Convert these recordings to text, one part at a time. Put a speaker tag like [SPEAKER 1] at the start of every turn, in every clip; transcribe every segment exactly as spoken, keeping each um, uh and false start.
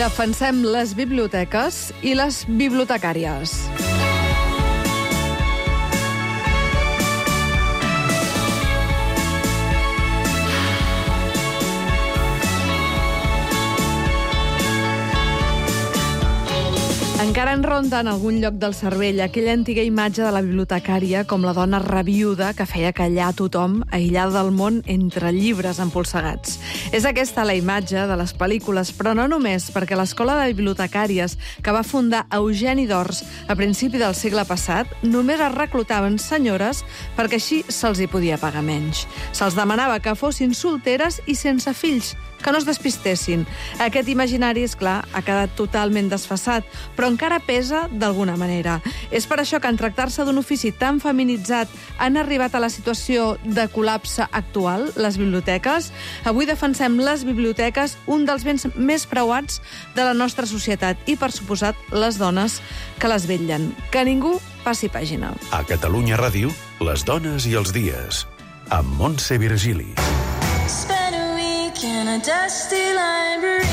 [SPEAKER 1] Defensem les biblioteques i les bibliotecàries. Encara en ronda en algun lloc del cervell aquella antiga imatge de la bibliotecària com la dona rabiuda que feia callar tothom, aïllada del món entre llibres empolsegats. És aquesta la imatge de les pel·lícules, però no només, perquè l'escola de bibliotecàries que va fundar Eugeni d'Ors a principi del segle passat només es reclutaven senyores perquè així se'ls hi podia pagar menys. Se'ls demanava que fossin solteres i sense fills, que no es despistessin. Aquest imaginari, és clar, ha quedat totalment desfasat, però encara pesa d'alguna manera. És per això que en tractar-se d'un ofici tan feminitzat han arribat a la situació de col·lapse actual, les biblioteques. Avui defensem les biblioteques, un dels béns més preuats de la nostra societat i, per suposat, les dones que les vetllen. Que ningú passi pàgina.
[SPEAKER 2] A Catalunya Ràdio, les dones i els dies, amb Montse Virgili.
[SPEAKER 3] In a dusty library,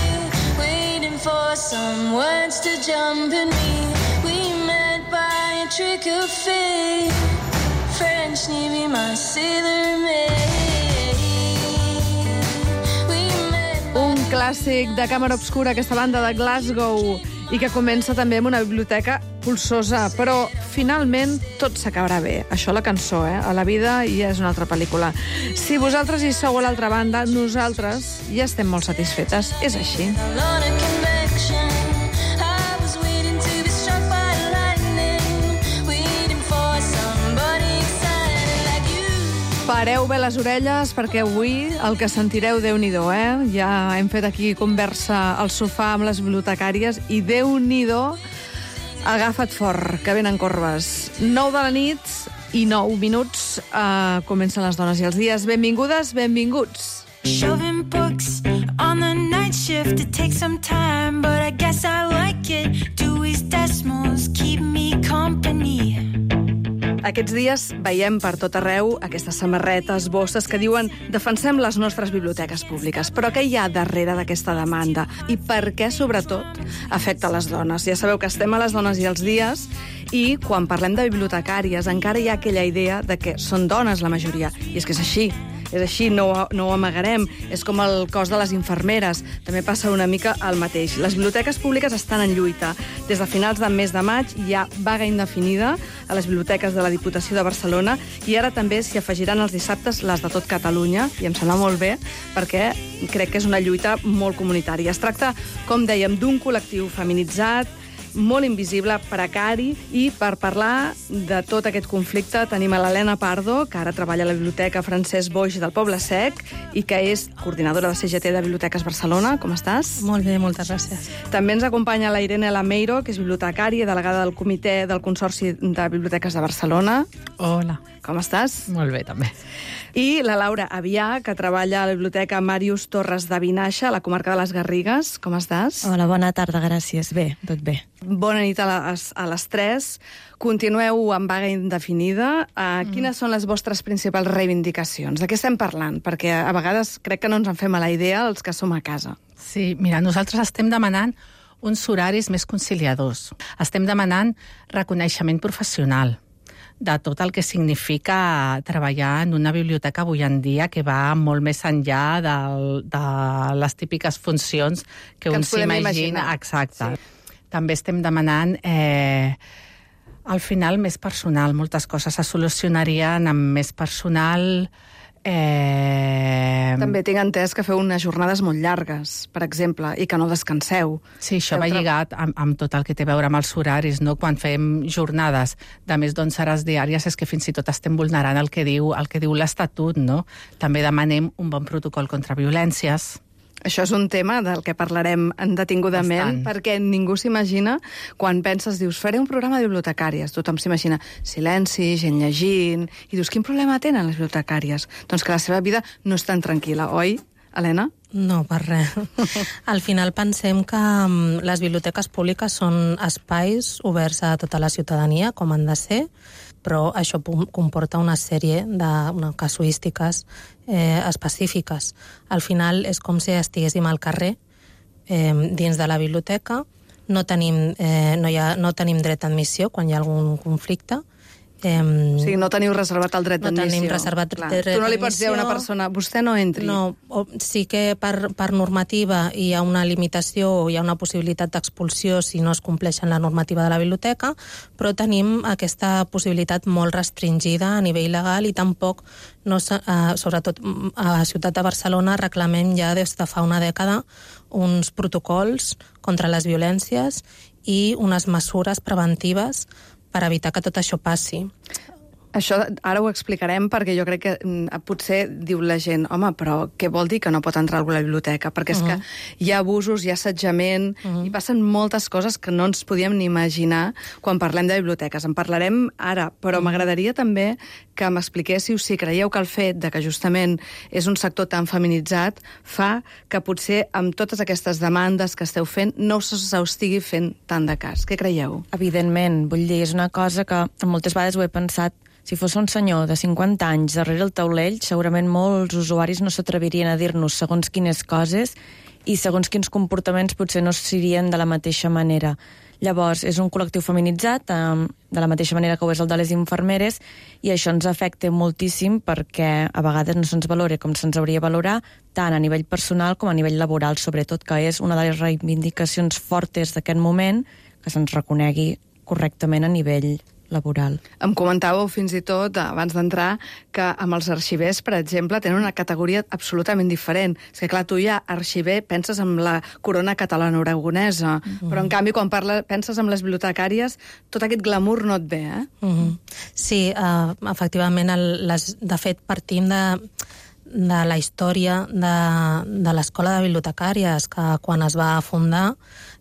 [SPEAKER 3] waiting for some words to jump in me. We met by a trick of fate. French Navy, my sailor maid.
[SPEAKER 1] Un clàssic de càmera obscura, aquesta banda de Glasgow, i que comença també amb una biblioteca polsosa, però finalment tot s'acabarà bé. Això la cançó, eh? A la vida ja és una altra pel·lícula. Si vosaltres hi sou a l'altra banda, nosaltres ja estem molt satisfetes. És així. Pareu bé les orelles perquè avui el que sentireu, Déu-n'hi-do, eh? Ja hem fet aquí conversa al sofà amb les bibliotecàries i Déu-n'hi-do, agafa't fort, que venen corbes. Nou de la nit i nou minuts eh, comencen les dones i els dies. Benvingudes, benvinguts.
[SPEAKER 3] Shoving books on the night shift, it takes some time, but I guess I like it. Dewey's Decimals keep me company.
[SPEAKER 1] Aquests dies veiem per tot arreu aquestes samarretes, bosses que diuen defensem les nostres biblioteques públiques. Però què hi ha darrere d'aquesta demanda? I per què, sobretot, afecta les dones? Ja sabeu que estem a les dones i els dies i quan parlem de bibliotecàries encara hi ha aquella idea de que són dones la majoria. I és que és així. És així, no, no ho amagarem. És com el cos de les infermeres. També passa una mica el mateix. Les biblioteques públiques estan en lluita. Des de finals del mes de maig hi ha vaga indefinida a les biblioteques de la Diputació de Barcelona i ara també s'hi afegiran els dissabtes les de tot Catalunya, i em sembla molt bé perquè crec que és una lluita molt comunitària. Es tracta, com dèiem, d'un col·lectiu feminitzat, molt invisible, precari, i per parlar de tot aquest conflicte tenim a l'Helena Pardo, que ara treballa a la Biblioteca Francesc Boix del Poble Sec i que és coordinadora de C G T de Biblioteques Barcelona. Com estàs?
[SPEAKER 4] Molt bé, moltes gràcies.
[SPEAKER 1] També ens acompanya la Irene Lameiro, que és bibliotecària i delegada del Comitè del Consorci de Biblioteques de Barcelona.
[SPEAKER 4] Hola.
[SPEAKER 1] Com estàs?
[SPEAKER 4] Molt bé, també.
[SPEAKER 1] I la Laura Avià, que treballa a la Biblioteca Màrius Torres de Vinaixa, a la comarca de les Garrigues. Com estàs?
[SPEAKER 4] Hola, bona tarda, gràcies. Bé, tot bé.
[SPEAKER 1] Bona nit a les, a les tres. Continueu en vaga indefinida. Uh, mm. Quines són les vostres principals reivindicacions? De què estem parlant? Perquè a vegades crec que no ens en fem a la idea els que som a casa.
[SPEAKER 4] Sí, mira, nosaltres estem demanant uns horaris més conciliadors. Estem demanant reconeixement professional de tot el que significa treballar en una biblioteca avui en dia, que va molt més enllà de, de les típiques funcions que, que un s'imagina. Exacte. Sí. També estem demanant, eh, al final, més personal. Moltes coses se solucionarien amb més personal. Eh...
[SPEAKER 1] També tinc entès que feu unes jornades molt llargues, per exemple, i que no descanseu.
[SPEAKER 4] Sí, això va lligat amb, amb tot el que té a veure amb els horaris, no? Quan fem jornades de més d'onze hores diàries és que fins i tot estem vulnerant el que diu, el que diu l'Estatut, no? També demanem un bon protocol contra violències.
[SPEAKER 1] Això és un tema del que parlarem detingudament, Bastant. Perquè ningú s'imagina, quan penses, dius, faré un programa de bibliotecàries, tothom s'imagina silenci, gent llegint, i dius, quin problema tenen les bibliotecàries? Doncs que la seva vida no és tan tranquil·la, oi, Helena?
[SPEAKER 5] No, per res. Al final pensem que les biblioteques públiques són espais oberts a tota la ciutadania, com han de ser, però això comporta una sèrie de una, casuístiques eh, específiques. Al final és com si estiguéssim al carrer eh, dins de la biblioteca, no tenim, eh, no, hi ha, no tenim dret d'admissió quan hi ha algun conflicte. Eh,
[SPEAKER 1] o sigui, no teniu reservat el dret
[SPEAKER 5] no
[SPEAKER 1] d'admissió.
[SPEAKER 5] tenim reservat
[SPEAKER 1] Clar.
[SPEAKER 5] dret d'admissió.
[SPEAKER 1] Tu no li pots dir a una persona, vostè no entri.
[SPEAKER 5] No, o, sí que per, per normativa hi ha una limitació o hi ha una possibilitat d'expulsió si no es compleixen la normativa de la biblioteca, però tenim aquesta possibilitat molt restringida a nivell legal i tampoc, no, eh, sobretot a la ciutat de Barcelona, reclamem ja des de fa una dècada uns protocols contra les violències i unes mesures preventives per evitar que tot això passi.
[SPEAKER 1] Això ara ho explicarem perquè jo crec que mm, potser diu la gent, home, però què vol dir que no pot entrar algú a la biblioteca? Perquè és uh -huh. que hi ha abusos, hi ha assetjament, uh -huh. i passen moltes coses que no ens podíem ni imaginar quan parlem de biblioteques. En parlarem ara, però uh -huh. m'agradaria també que m'expliquéssiu si creieu que el fet de que justament és un sector tan feminitzat fa que potser amb totes aquestes demandes que esteu fent no se us estigui fent tant de cas. Què creieu?
[SPEAKER 6] Evidentment, vull dir, és una cosa que moltes vegades ho he pensat. Si fos un senyor de cinquanta anys darrere el taulell, segurament molts usuaris no s'atrevirien a dir-nos segons quines coses i segons quins comportaments potser no serien de la mateixa manera. Llavors, és un col·lectiu feminitzat, de la mateixa manera que ho és el de les infermeres, i això ens afecta moltíssim perquè a vegades no se'ns valora com se'ns hauria de valorar, tant a nivell personal com a nivell laboral, sobretot, que és una de les reivindicacions fortes d'aquest moment, que se'ns reconegui correctament a nivell laboral.
[SPEAKER 1] Em comentàveu fins i tot, abans d'entrar, que amb els arxivers, per exemple, tenen una categoria absolutament diferent. És que, clar, tu ja, arxiver, penses en la corona catalana-aragonesa, uh-huh. però, en canvi, quan parla, penses en les bibliotecàries, tot aquest glamour no et ve, eh?
[SPEAKER 5] Uh-huh. Sí, uh, efectivament, el, les, de fet, partim de de la història de, de l'Escola de Bibliotecàries, que quan es va fundar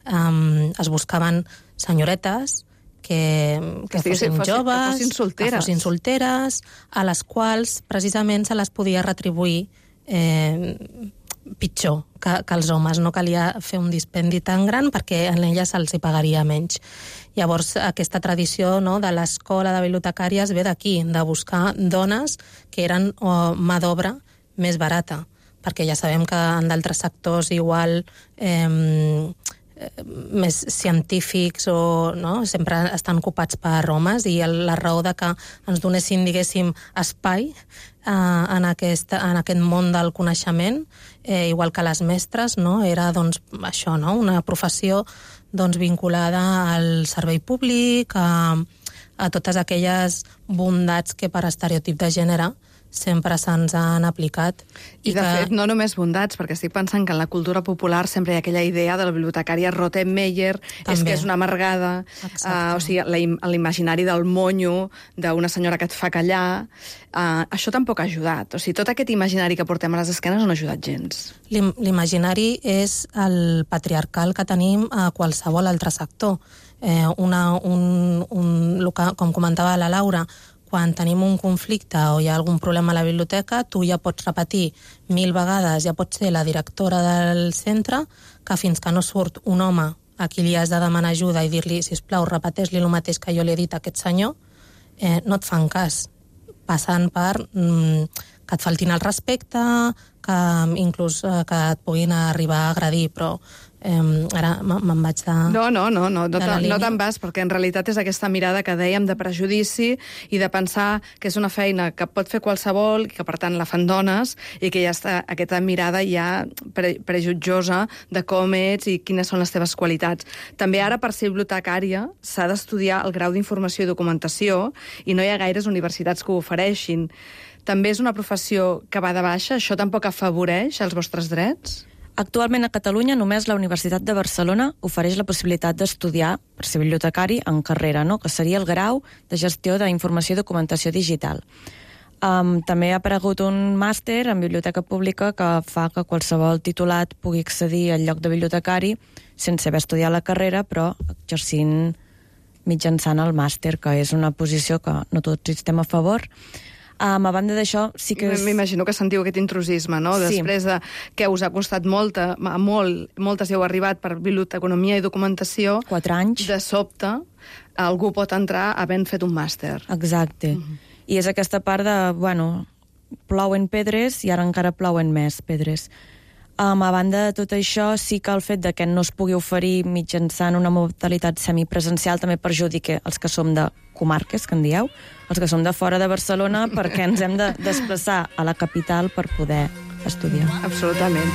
[SPEAKER 5] um, es buscaven senyoretes que, que, que fossin
[SPEAKER 1] fossin,
[SPEAKER 5] joves,
[SPEAKER 1] que fossin solteres.
[SPEAKER 5] que fossin solteres, a les quals precisament se les podia retribuir eh, pitjor que, que els homes. No calia fer un dispendi tan gran perquè en elles se'ls hi pagaria menys. Llavors, aquesta tradició, no, de l'escola de bibliotecàries ve d'aquí, de buscar dones que eren oh, mà d'obra més barata, perquè ja sabem que en d'altres sectors igual eh, més científics o no, sempre estan ocupats per homes, i la raó de que ens donessin, diguéssim, espai eh, en, aquesta, en aquest món del coneixement, eh, igual que les mestres, no, era doncs, això, no, una professió doncs, vinculada al servei públic, a, a totes aquelles bondats que per estereotip de gènere sempre se'ns han aplicat.
[SPEAKER 1] I, I de que... fet, no només bondats, perquè estic pensant que en la cultura popular sempre hi ha aquella idea de la bibliotecària Rottenmeier, també. És que és una amargada, uh, o sigui, l'imaginari del monyo, d'una senyora que et fa callar, uh, això tampoc ha ajudat. O sigui, tot aquest imaginari que portem a les esquenes no ha ajudat gens.
[SPEAKER 5] L'imaginari és el patriarcal que tenim a qualsevol altre sector. Eh, una, un, un, com comentava la Laura, quan tenim un conflicte o hi ha algun problema a la biblioteca, tu ja pots repetir mil vegades, ja pots ser la directora del centre, que fins que no surt un home a qui li has de demanar ajuda i dir-li, sisplau, repeteix-li el mateix que jo li he dit a aquest senyor, eh, no et fan cas. Passant per mm, que et faltin el respecte, que inclús eh, que et puguin arribar a agredir, però Eh, ara me'n vaig de...
[SPEAKER 1] No, no, no, no, no, no te'n vas, perquè en realitat és aquesta mirada que dèiem de prejudici i de pensar que és una feina que pot fer qualsevol, que per tant la fan dones, i que ja està aquesta mirada ja pre prejutjosa de com ets i quines són les teves qualitats. També ara, per ser bibliotecària, s'ha d'estudiar el grau d'informació i documentació, i no hi ha gaires universitats que ho ofereixin. També és una professió que va de baixa? Això tampoc afavoreix els vostres drets?
[SPEAKER 6] Actualment a Catalunya només la Universitat de Barcelona ofereix la possibilitat d'estudiar per ser bibliotecari en carrera, no? Que seria el grau de gestió d'informació i documentació digital. Um, també ha aparegut un màster en biblioteca pública que fa que qualsevol titulat pugui accedir al lloc de bibliotecari sense haver estudiat la carrera, però exercint mitjançant el màster, que és una posició que no tots hi estem a favor. Um, a banda d'això, sí que... És...
[SPEAKER 1] M'imagino que sentiu aquest intrusisme, no?
[SPEAKER 6] Sí.
[SPEAKER 1] Després de que us ha costat molta, molt, moltes heu arribat per biblioteconomia i documentació...
[SPEAKER 6] Quatre anys.
[SPEAKER 1] De sobte, algú pot entrar havent fet un màster.
[SPEAKER 6] Exacte. Uh -huh. I és aquesta part de, bueno, plouen pedres i ara encara plouen més pedres. Um, a banda de tot això, sí que el fet de que no es pugui oferir mitjançant una modalitat semipresencial també perjudica els que som de comarques, que en dieu, els que som de fora de Barcelona, perquè ens hem de desplaçar a la capital per poder estudiar.
[SPEAKER 1] Absolutament.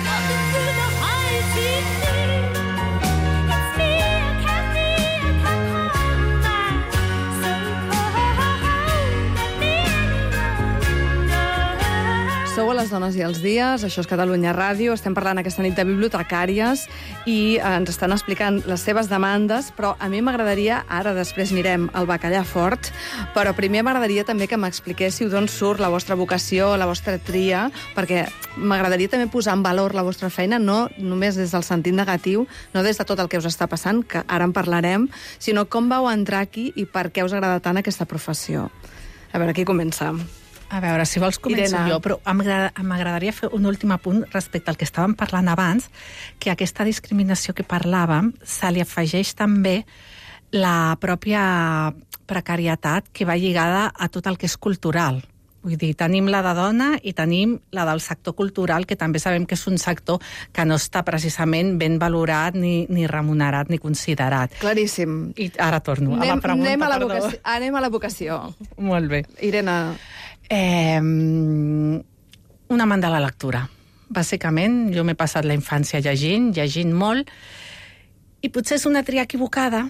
[SPEAKER 1] Sou a les dones i els dies, això és Catalunya Ràdio, estem parlant aquesta nit de bibliotecàries i eh, ens estan explicant les seves demandes, però a mi m'agradaria, ara després mirem el bacallà fort, però primer m'agradaria també que m'expliquéssiu d'on surt la vostra vocació, la vostra tria, perquè m'agradaria també posar en valor la vostra feina, no només des del sentit negatiu, no des de tot el que us està passant, que ara en parlarem, sinó com vau entrar aquí i per què us agrada tant aquesta professió. A veure, qui comença?
[SPEAKER 4] A veure, si vols començo
[SPEAKER 1] Irene.
[SPEAKER 4] jo, però m'agradaria fer un últim apunt respecte al que estàvem parlant abans, que a aquesta discriminació que parlàvem se li afegeix també la pròpia precarietat que va lligada a tot el que és cultural. Vull dir, tenim la de dona i tenim la del sector cultural, que també sabem que és un sector que no està precisament ben valorat, ni, ni remunerat, ni considerat.
[SPEAKER 1] Claríssim.
[SPEAKER 4] I ara torno
[SPEAKER 1] anem,
[SPEAKER 4] a la pregunta,
[SPEAKER 1] anem a la
[SPEAKER 4] perdó.
[SPEAKER 1] vocació, anem a la vocació.
[SPEAKER 4] Molt bé.
[SPEAKER 1] Irene.
[SPEAKER 4] Eh, un amant de la lectura. Bàsicament, jo m'he passat la infància llegint, llegint molt, i potser és una tria equivocada,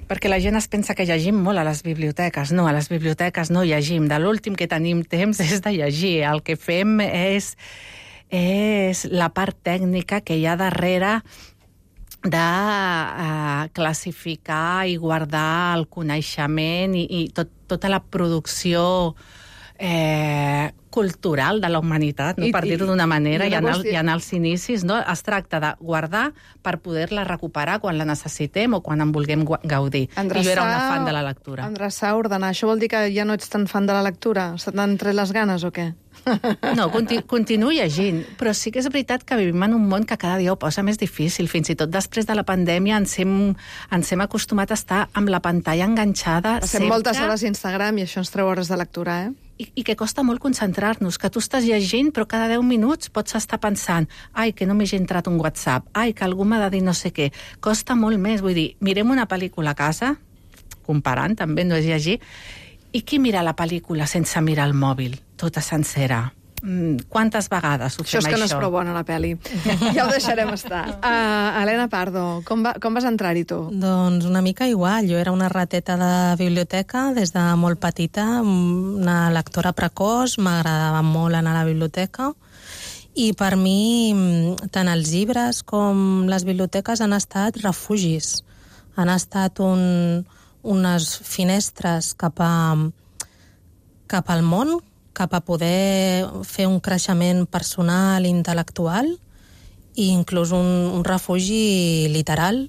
[SPEAKER 4] perquè la gent es pensa que llegim molt a les biblioteques. No, a les biblioteques no llegim. De l'últim que tenim temps és de llegir. El que fem és, és la part tècnica que hi ha darrere de uh, classificar i guardar el coneixement i, i tot, tota la producció eh, cultural de la humanitat, no?
[SPEAKER 1] I,
[SPEAKER 4] per dir-ho d'una manera,
[SPEAKER 1] i
[SPEAKER 4] i, en el,
[SPEAKER 1] qüestió...
[SPEAKER 4] i en els inicis, no? Es tracta de guardar per poder-la recuperar quan la necessitem o quan en vulguem gaudir.
[SPEAKER 1] Endreçar,
[SPEAKER 4] I jo era una fan de la lectura.
[SPEAKER 1] Endreçar, ordenar. Això vol dir que ja no ets tan fan de la lectura? Se t'han tret les ganes o què?
[SPEAKER 4] No, continu, continuo llegint, però sí que és veritat que vivim en un món que cada dia ho posa més difícil. Fins i tot després de la pandèmia ens hem, ens hem acostumat a estar amb la pantalla enganxada
[SPEAKER 1] Passem
[SPEAKER 4] sempre.
[SPEAKER 1] moltes hores a Instagram i això ens treu hores de lectura, eh?
[SPEAKER 4] I, i que costa molt concentrar-nos, que tu estàs llegint però cada deu minuts pots estar pensant ai, que no m'he entrat un WhatsApp, ai, que algú m'ha de dir no sé què. Costa molt més, vull dir, mirem una pel·lícula a casa, comparant, també no és llegir, i qui mira la pel·lícula sense mirar el mòbil, tota sencera? Mm, quantes vegades ho
[SPEAKER 1] Això
[SPEAKER 4] fem,
[SPEAKER 1] és que
[SPEAKER 4] això?
[SPEAKER 1] no és prou bona, la pel·li. Ja ho deixarem estar. Uh, Helena Pardo, com, va, com vas entrar-hi tu?
[SPEAKER 5] Doncs una mica igual. Jo era una rateta de biblioteca des de molt petita, una lectora precoç, m'agradava molt anar a la biblioteca i per mi tant els llibres com les biblioteques han estat refugis. Han estat un, unes finestres cap, a, cap al món, cap a poder fer un creixement personal i intel·lectual i inclús un, un refugi literal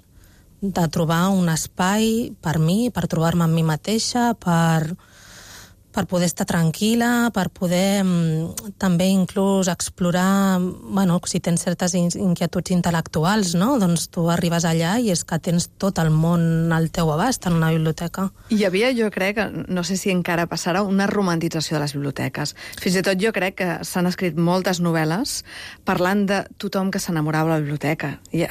[SPEAKER 5] de trobar un espai per mi, per trobar-me amb mi mateixa, per, per poder estar tranquil·la, per poder mm, també inclús explorar, bueno, si tens certes inquietuds intel·lectuals, no? Doncs tu arribes allà i és que tens tot el món al teu abast en una biblioteca.
[SPEAKER 1] Hi havia, jo crec, no sé si encara passarà, una romantització de les biblioteques. Fins i tot jo crec que s'han escrit moltes novel·les parlant de tothom que s'enamorava de la biblioteca. I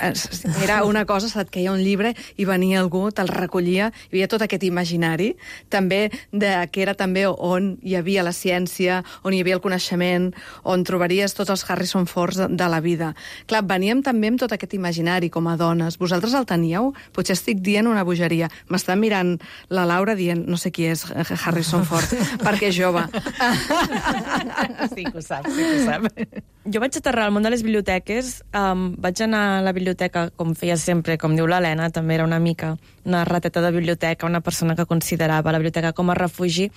[SPEAKER 1] era una cosa, se't queia un llibre i venia algú, te'l recollia, hi havia tot aquest imaginari, també de, que era també on hi havia la ciència, on hi havia el coneixement, on trobaries tots els Harrison Fords de, de la vida. Clar, veníem també amb tot aquest imaginari com a dones. Vosaltres el teníeu? Potser estic dient una bogeria. M'està mirant la Laura dient, no sé qui és Harrison Ford, perquè és jove.
[SPEAKER 4] Sí que ho sap, sí que ho sap.
[SPEAKER 6] Jo vaig aterrar al món de les biblioteques, um, vaig anar a la biblioteca, com feia sempre, com diu l'Helena, també era una mica una rateta de biblioteca, una persona que considerava la biblioteca com a refugi,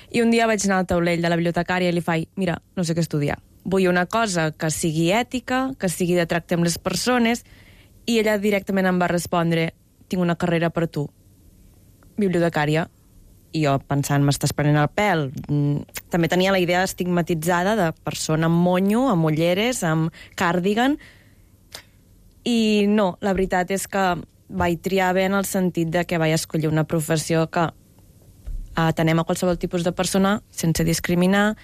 [SPEAKER 6] i un dia vaig anar al taulell de la bibliotecària i li faig, mira, no sé què estudiar, vull una cosa que sigui ètica, que sigui de tracte amb les persones, i ella directament em va respondre, tinc una carrera per tu, bibliotecària. I jo pensant, m'estàs prenent el pèl. També tenia la idea estigmatitzada de persona amb monyo, amb ulleres, amb cardigan. I no, la veritat és que vaig triar bé en el sentit de que vaig escollir una professió que atenem a qualsevol tipus de persona sense discriminar,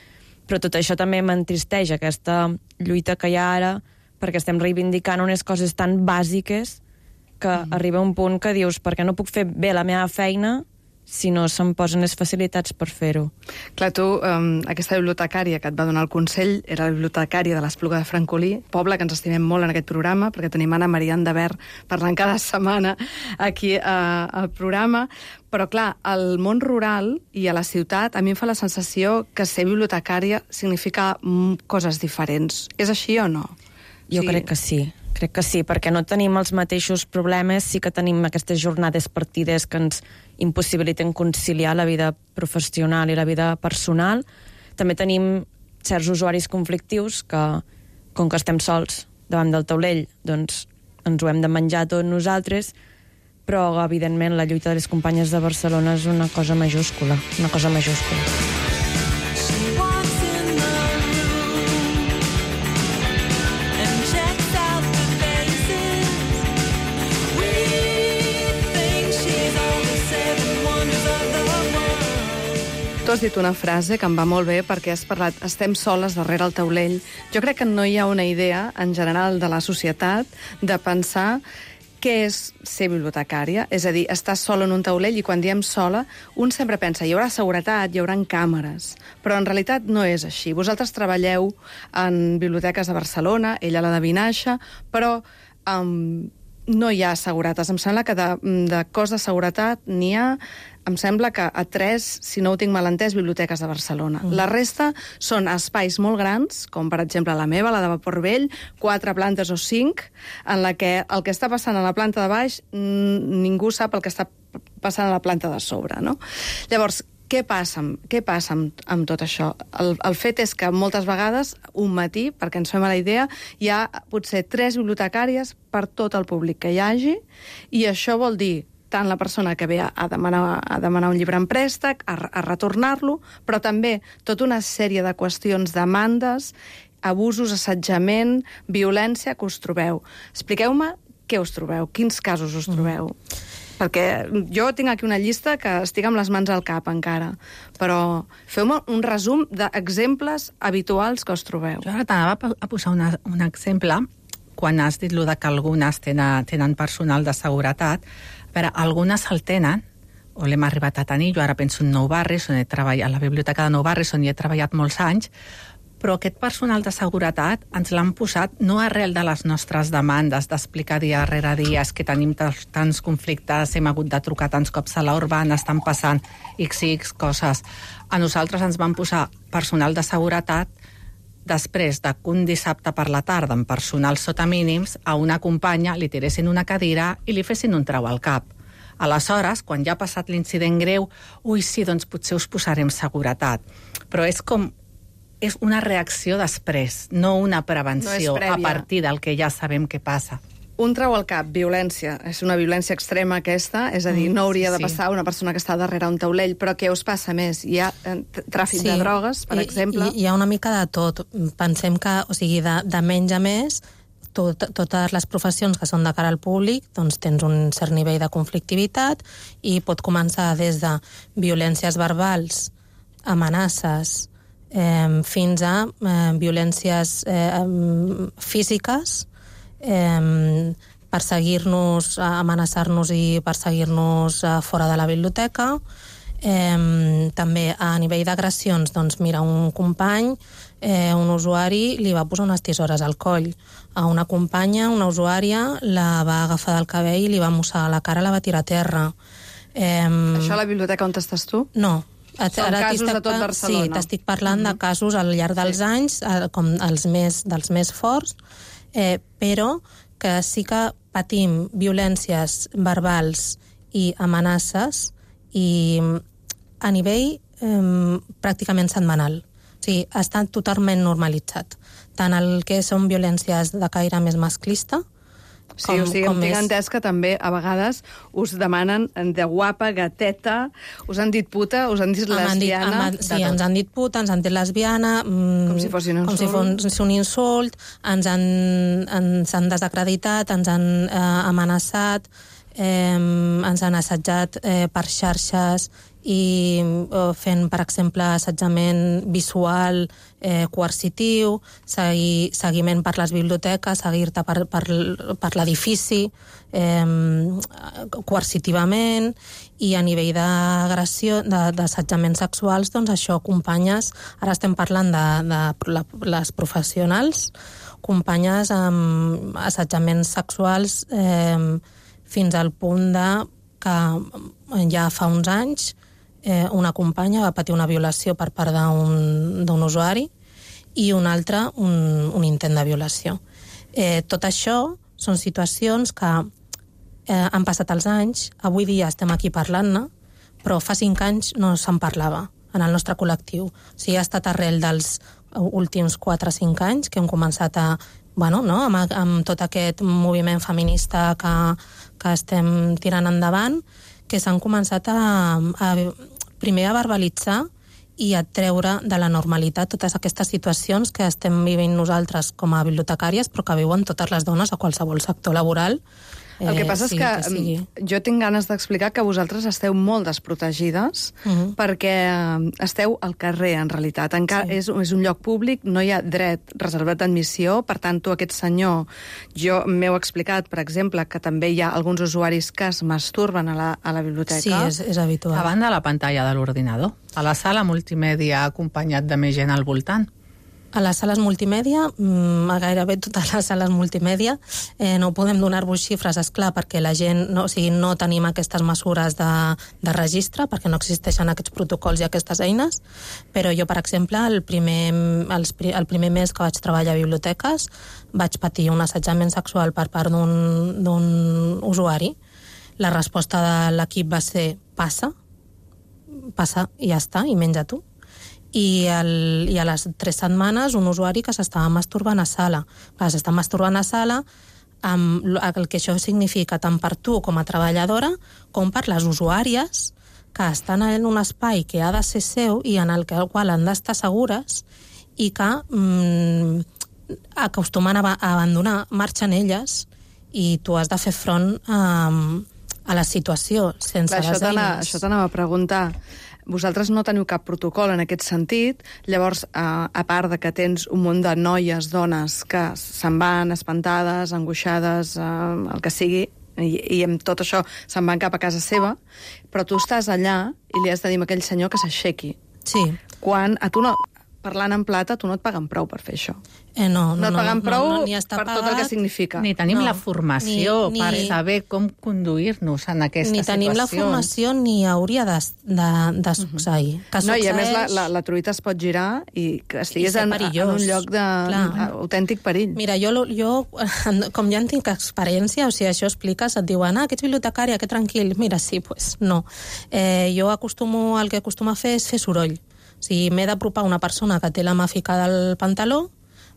[SPEAKER 6] però tot això també m'entristeix, aquesta lluita que hi ha ara perquè estem reivindicant unes coses tan bàsiques que mm. arriba un punt que dius, per què no puc fer bé la meva feina si no se'm posen les facilitats per fer-ho?
[SPEAKER 1] Clar, tu, um, aquesta bibliotecària que et va donar el consell era la bibliotecària de l'Espluga de Francolí, poble que ens estimem molt en aquest programa, perquè tenim Anna Maria Andavert parlant cada setmana aquí uh, al programa. Però, clar, al món rural i a la ciutat a mi em fa la sensació que ser bibliotecària significa coses diferents. És així o no?
[SPEAKER 6] Jo sí. crec que sí. Crec que sí, perquè no tenim els mateixos problemes, sí que tenim aquestes jornades partides que ens impossibiliten conciliar la vida professional i la vida personal. També tenim certs usuaris conflictius que, com que estem sols davant del taulell, doncs ens ho hem de menjar tot nosaltres, però, evidentment, la lluita de les companyes de Barcelona és una cosa majúscula, una cosa majúscula.
[SPEAKER 1] Tu has dit una frase que em va molt bé perquè has parlat, estem soles darrere el taulell. Jo crec que no hi ha una idea, en general, de la societat, de pensar què és ser bibliotecària, és a dir, estar sola en un taulell, i quan diem sola, un sempre pensa, hi haurà seguretat, hi haurà càmeres, però en realitat no és així. Vosaltres treballeu en biblioteques a Barcelona, ella a la de Vinaixa, però um, no hi ha seguretat. Em sembla que de, de cos de seguretat n'hi ha, em sembla que a tres, si no ho tinc mal entès, biblioteques de Barcelona. Mm. La resta són espais molt grans, com per exemple la meva, la de Vapor Vell, quatre plantes o cinc, en la que el que està passant a la planta de baix ningú sap el que està passant a la planta de sobre, no? Llavors, què passa, què passa amb, amb tot això? El, el fet és que moltes vegades, un matí, perquè ens fem a la idea, hi ha potser tres bibliotecàries per tot el públic que hi hagi, i això vol dir tant la persona que ve a demanar, a demanar un llibre en préstec, a, a retornar-lo, però també tota una sèrie de qüestions, demandes, abusos, assetjament, violència que us trobeu. Expliqueu-me què us trobeu, quins casos us trobeu. Mm. Perquè jo tinc aquí una llista que estic amb les mans al cap encara, però feu-me un resum d'exemples habituals que us trobeu.
[SPEAKER 4] Jo ara t'anava a posar una, un exemple, quan has dit lo de que algunes tenen, tenen personal de seguretat. Però algunes el tenen, o l'hem arribat a tenir, jo ara penso en Nou Barris, on he treballat, a la biblioteca de Nou Barris, on hi he treballat molts anys, però aquest personal de seguretat ens l'han posat no arrel de les nostres demandes, d'explicar dia rere dia, és que tenim tants conflictes, hem hagut de trucar tants cops a l'urbana, estan passant X i X coses. A nosaltres ens van posar personal de seguretat després de que un dissabte per la tarda, amb personal sota mínims, a una companya li tiressin una cadira i li fessin un trau al cap. Aleshores, quan ja ha passat l'incident greu, ui, sí, doncs potser us posarem seguretat. Però és com... és una reacció després, no una prevenció no a partir del que ja sabem què passa.
[SPEAKER 1] Un trau al cap, violència. És una violència extrema aquesta, és a dir, no hauria de passar una persona que està darrere un taulell, però què us passa més? Hi ha tràfic sí. de drogues, per I, exemple?
[SPEAKER 5] Hi, hi ha una mica de tot. Pensem que, o sigui, de, de menys a més, tot, totes les professions que són de cara al públic, doncs tens un cert nivell de conflictivitat i pot començar des de violències verbals, amenaces, eh, fins a eh, violències eh, físiques, Eh, perseguir-nos, amenaçar-nos i perseguir-nos eh, fora de la biblioteca. Eh, també a nivell d'agressions, doncs mira, un company, eh, un usuari li va posar unes tisores al coll. A una companya, una usuària, la va agafar del cabell i li va mossegar la cara, la va tirar a terra. Eh,
[SPEAKER 1] Això a la biblioteca on estàs tu?
[SPEAKER 5] No.
[SPEAKER 1] Són ara casos de tot Barcelona.
[SPEAKER 5] Sí, t'estic parlant mm-hmm. de casos al llarg dels sí. anys, com els més, dels més forts, Eh, però que sí que patim violències verbals i amenaces i a nivell eh, pràcticament setmanal. O sigui, està totalment normalitzat. Tant el que són violències de caire més masclista,
[SPEAKER 1] Sí, com, o sigui, em tinc entès que també a vegades us demanen de guapa, gateta, us han dit puta, us han dit lesbiana...
[SPEAKER 5] Dit, sí, ens han dit puta, ens han dit lesbiana...
[SPEAKER 1] Com si fos un insult.
[SPEAKER 5] Com si fos un insult, ens han, ens han desacreditat, ens han eh, amenaçat, eh, ens han assetjat eh, per xarxes i eh, fent, per exemple, assetjament visual eh, coercitiu, segui, seguiment per les biblioteques, seguir-te per, per, per l'edifici eh, coercitivament, i a nivell d'agressió, d'assetjaments sexuals, doncs això, companyes, ara estem parlant de, de la, les professionals, companyes amb assetjaments sexuals eh, fins al punt de que ja fa uns anys eh, una companya va patir una violació per part d'un usuari i una altra un, un intent de violació. Eh, tot això són situacions que eh, han passat els anys, avui dia estem aquí parlant-ne, però fa cinc anys no se'n parlava en el nostre col·lectiu. O sigui, ha estat arrel dels últims quatre o cinc anys que hem començat a, bueno, no, amb, amb tot aquest moviment feminista que, que estem tirant endavant, que s'han començat a, a primer a verbalitzar i a treure de la normalitat totes aquestes situacions que estem vivint nosaltres com a bibliotecàries, però que viuen totes les dones a qualsevol sector laboral.
[SPEAKER 1] El que passa és que, que jo tinc ganes d'explicar que vosaltres esteu molt desprotegides uh -huh. perquè esteu al carrer, en realitat. Encara sí. és, és un lloc públic, no hi ha dret reservat d'admissió, per tant, tu, aquest senyor, jo m'heu explicat, per exemple, que també hi ha alguns usuaris que es masturben a la, a la biblioteca.
[SPEAKER 5] Sí, és, és habitual.
[SPEAKER 4] A banda de la pantalla de l'ordinador, a la sala multimèdia acompanyat de més gent al voltant.
[SPEAKER 5] A les sales multimèdia, a gairebé totes les sales multimèdia, eh, no podem donar-vos xifres, esclar, perquè la gent, no, o sigui, no tenim aquestes mesures de, de registre, perquè no existeixen aquests protocols i aquestes eines, però jo, per exemple, el primer, els, el primer mes que vaig treballar a biblioteques vaig patir un assetjament sexual per part d'un usuari. La resposta de l'equip va ser passa, passa i ja està, i menja tu. I, el, i a les tres setmanes un usuari que s'estava masturbant a sala. Clar, s'està masturbant a sala, amb el que això significa tant per tu com a treballadora com per les usuàries que estan en un espai que ha de ser seu i en el qual han d'estar segures i que mm, acostumen a abandonar, marxen elles i tu has de fer front a, a la situació sense
[SPEAKER 1] Clar,
[SPEAKER 5] les eines.
[SPEAKER 1] Això t'anava a preguntar. Vosaltres no teniu cap protocol en aquest sentit, llavors, a, a part de que tens un munt de noies, dones, que se'n van espantades, angoixades, eh, el que sigui, i, i amb tot això se'n van cap a casa seva, però tu estàs allà i li has de dir a aquell senyor que s'aixequi.
[SPEAKER 5] Sí.
[SPEAKER 1] Quan a tu no... Parlant en plata, tu no et paguen prou per fer això.
[SPEAKER 5] Eh, no,
[SPEAKER 1] no, no et paguen
[SPEAKER 5] no,
[SPEAKER 1] prou
[SPEAKER 5] no, no, ni està
[SPEAKER 1] per
[SPEAKER 5] pagat,
[SPEAKER 1] tot el que significa.
[SPEAKER 4] Ni tenim
[SPEAKER 5] no,
[SPEAKER 4] la formació
[SPEAKER 5] ni,
[SPEAKER 4] per
[SPEAKER 5] ni,
[SPEAKER 4] saber com conduir-nos en aquestes
[SPEAKER 5] ni tenim
[SPEAKER 4] situacions.
[SPEAKER 5] la formació ni hauria de, de, de succeir. Uh -huh.
[SPEAKER 1] No, i a més la, la, la truita es pot girar i que estiguis en, en un lloc d'autèntic perill.
[SPEAKER 5] Mira, jo, jo, com ja en tinc experiència, o sigui, això expliques, et diuen, ah, que ets bibliotecària, que tranquil. Mira, sí, pues no. Eh, jo acostumo, el que acostumo a fer és fer soroll. Si m'he d'apropar una persona que té la mà ficada al pantaló,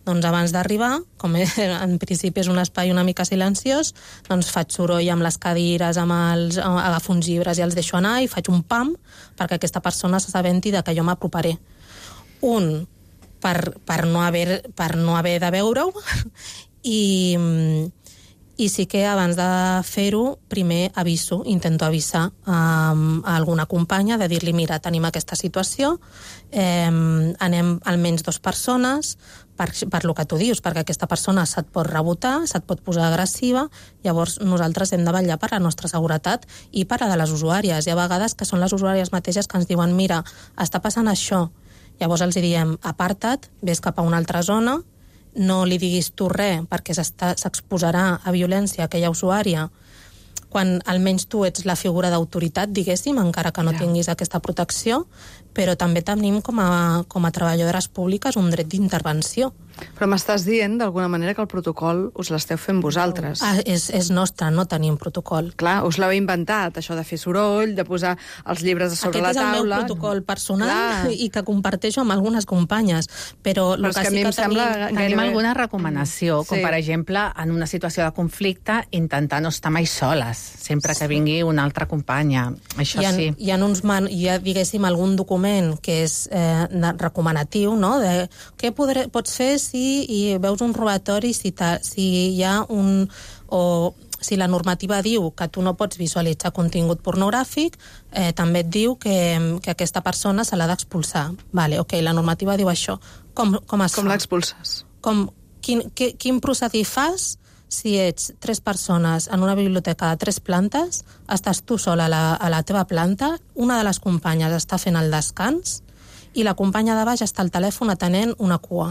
[SPEAKER 5] doncs abans d'arribar, com en principi és un espai una mica silenciós, doncs faig soroll amb les cadires, amb els, agafo uns llibres i els deixo anar i faig un pam perquè aquesta persona s'assabenti de que jo m'aproparé. Un, per, per, no haver, per no haver de veure-ho, i... I sí que abans de fer-ho, primer aviso, intento avisar um, a alguna companya de dir-li, mira, tenim aquesta situació, eh, anem almenys dues persones, per, per lo que tu dius, perquè aquesta persona se't pot rebotar, se't pot posar agressiva, llavors nosaltres hem de vetllar per la nostra seguretat i per la de les usuàries. Hi ha vegades que són les usuàries mateixes que ens diuen, mira, està passant això. Llavors els diem, aparta't, ves cap a una altra zona, no li diguis tu res perquè s'exposarà a violència a aquella usuària quan almenys tu ets la figura d'autoritat, diguéssim, encara que no ja. tinguis aquesta protecció, però també tenim com a, com a treballadores públiques un dret d'intervenció.
[SPEAKER 1] Però m'estàs dient, d'alguna manera, que el protocol us l'esteu fent vosaltres.
[SPEAKER 5] Ah, és, és nostre, no tenim protocol.
[SPEAKER 1] Clar, us l'heu inventat, això de fer soroll, de posar els llibres a sobre
[SPEAKER 5] Aquest
[SPEAKER 1] la taula...
[SPEAKER 5] Aquest és el meu protocol personal Clar. i que comparteixo amb algunes companyes, però...
[SPEAKER 1] Però és que, que a mi em sembla...
[SPEAKER 4] Tenim, tenim alguna recomanació, com sí. per exemple, en una situació de conflicte, intentar no estar mai soles, sempre que vingui una altra companya. Això
[SPEAKER 5] hi ha,
[SPEAKER 4] sí.
[SPEAKER 5] Hi ha, uns man, hi ha, diguéssim, algun document que és eh, recomanatiu, no?, de què podré, pots fer si hi veus un robatori, si, ta, si hi ha un... o si la normativa diu que tu no pots visualitzar contingut pornogràfic, eh, també et diu que, que aquesta persona se l'ha d'expulsar. Vale, ok, la normativa diu això. Com, com es
[SPEAKER 1] Com
[SPEAKER 5] fa?
[SPEAKER 1] l'expulses?
[SPEAKER 5] Com, quin, que, quin procediment fas si ets tres persones en una biblioteca de tres plantes, estàs tu sola a la, a la teva planta, una de les companyes està fent el descans i la companya de baix està al telèfon atenent una cua.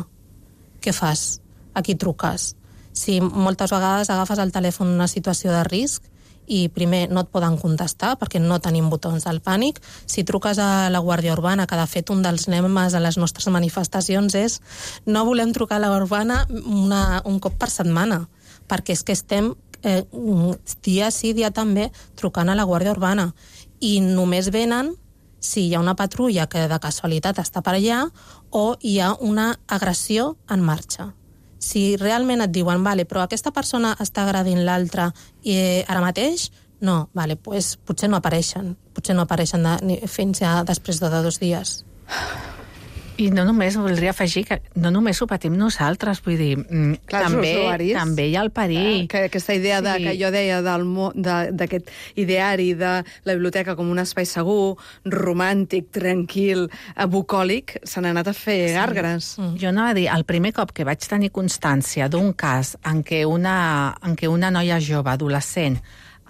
[SPEAKER 5] Què fas? A qui truques? Si moltes vegades agafes el telèfon en una situació de risc i primer no et poden contestar perquè no tenim botons del pànic, si truques a la Guàrdia Urbana, que de fet un dels lemes a les nostres manifestacions és no volem trucar a la Urbana una, un cop per setmana, perquè és que estem eh, dia sí, dia també trucant a la Guàrdia Urbana i només venen si hi ha una patrulla que de casualitat està per allà o hi ha una agressió en marxa. Si realment et diuen, vale, però aquesta persona està agredint l'altra i eh, ara mateix, no, vale, pues, potser no apareixen, potser no apareixen de, ni, fins ja després de, de dos dies.
[SPEAKER 4] I no només, voldria afegir que no només ho patim nosaltres, vull dir,
[SPEAKER 1] Clar,
[SPEAKER 4] també,
[SPEAKER 1] usuaris,
[SPEAKER 4] també hi ha el perill.
[SPEAKER 1] Que aquesta idea de,
[SPEAKER 4] Sí.
[SPEAKER 1] que jo deia d'aquest ideari de la biblioteca com un espai segur, romàntic, tranquil, bucòlic, se n'ha anat a fer gàrgares.
[SPEAKER 4] Mm. Jo anava a dir, el primer cop que vaig tenir constància d'un cas en què una, en què una noia jove, adolescent,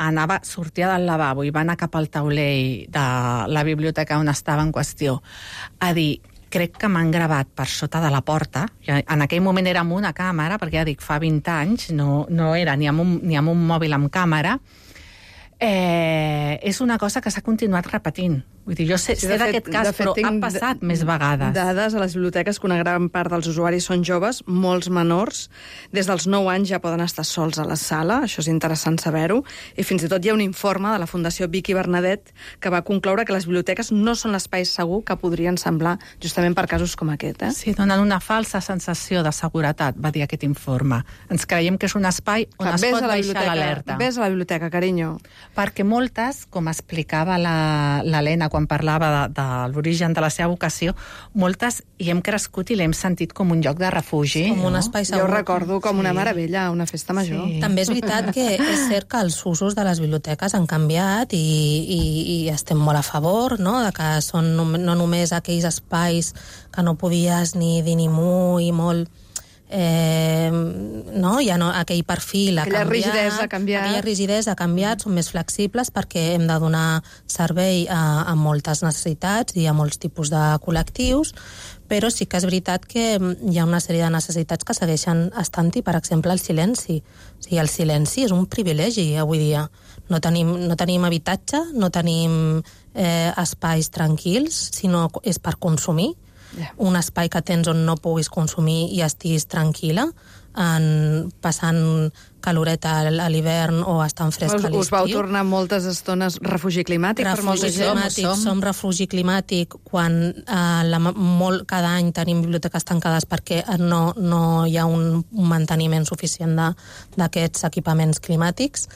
[SPEAKER 4] anava, sortia del lavabo i va anar cap al taulell de la biblioteca on estava en qüestió, a dir, crec que m'han gravat per sota de la porta. En aquell moment era amb una càmera, perquè ja dic, fa vint anys, no, no era ni amb, un, ni amb un mòbil amb càmera. Eh, és una cosa que s'ha continuat repetint. Vull dir, jo sé,
[SPEAKER 1] Sí,
[SPEAKER 4] sé
[SPEAKER 1] de fet-
[SPEAKER 4] d'aquest cas,
[SPEAKER 1] de fet,
[SPEAKER 4] però ha
[SPEAKER 1] tinc
[SPEAKER 4] passat
[SPEAKER 1] d-
[SPEAKER 4] més vegades.
[SPEAKER 1] Dades a les biblioteques que una gran part dels usuaris són joves, molts menors, des dels nou anys ja poden estar sols a la sala, això és interessant saber-ho, i fins i tot hi ha un informe de la Fundació Vicky Bernadet que va concloure que les biblioteques no són l'espai segur que podrien semblar justament per casos com aquest. Eh?
[SPEAKER 4] Sí, donen una falsa sensació de seguretat, va dir aquest informe. Ens creiem que és un espai on
[SPEAKER 1] Clar,
[SPEAKER 4] es
[SPEAKER 1] ves
[SPEAKER 4] pot
[SPEAKER 1] a la
[SPEAKER 4] baixar
[SPEAKER 1] biblioteca,
[SPEAKER 4] l'alerta.
[SPEAKER 1] Ves a la biblioteca, carinyo.
[SPEAKER 4] Perquè moltes, com explicava la- l'Helena quan parlava de, de l'origen de la seva vocació, moltes hi hem crescut i l'hem sentit com un lloc de refugi.
[SPEAKER 5] Com un
[SPEAKER 4] no?
[SPEAKER 5] espai
[SPEAKER 1] Jo
[SPEAKER 5] segur.
[SPEAKER 1] ho recordo com
[SPEAKER 4] Sí.
[SPEAKER 1] una meravella, una festa major.
[SPEAKER 4] Sí.
[SPEAKER 5] També és veritat que és cert que els usos de les biblioteques han canviat i, i, i estem molt a favor, no?, de que són no, no només aquells espais que no podies ni dir ni mu i molt... Eh, no? Ja no, aquell perfil ha
[SPEAKER 1] Aquella
[SPEAKER 5] canviat,
[SPEAKER 1] rigidesa ha canviat.
[SPEAKER 5] aquella rigidesa ha canviat, són més flexibles perquè hem de donar servei a, a moltes necessitats i a molts tipus de col·lectius, però sí que és veritat que hi ha una sèrie de necessitats que segueixen estant-hi, per exemple, el silenci. O sigui, el silenci és un privilegi avui dia. No tenim, no tenim habitatge, no tenim eh, espais tranquils, sinó és per consumir.
[SPEAKER 1] Yeah.
[SPEAKER 5] Un espai que tens on no puguis consumir i estiguis tranquil·la, en, passant caloreta a l'hivern o estant fresca
[SPEAKER 1] Us,
[SPEAKER 5] a l'estiu.
[SPEAKER 1] us vau tornar moltes estones refugi climàtic per molta
[SPEAKER 5] Refugi
[SPEAKER 1] gent.
[SPEAKER 5] climàtic,
[SPEAKER 4] som.
[SPEAKER 5] som refugi climàtic quan eh, la, molt, cada any tenim biblioteques tancades perquè no, no hi ha un, un manteniment suficient de- d'aquests equipaments climàtics.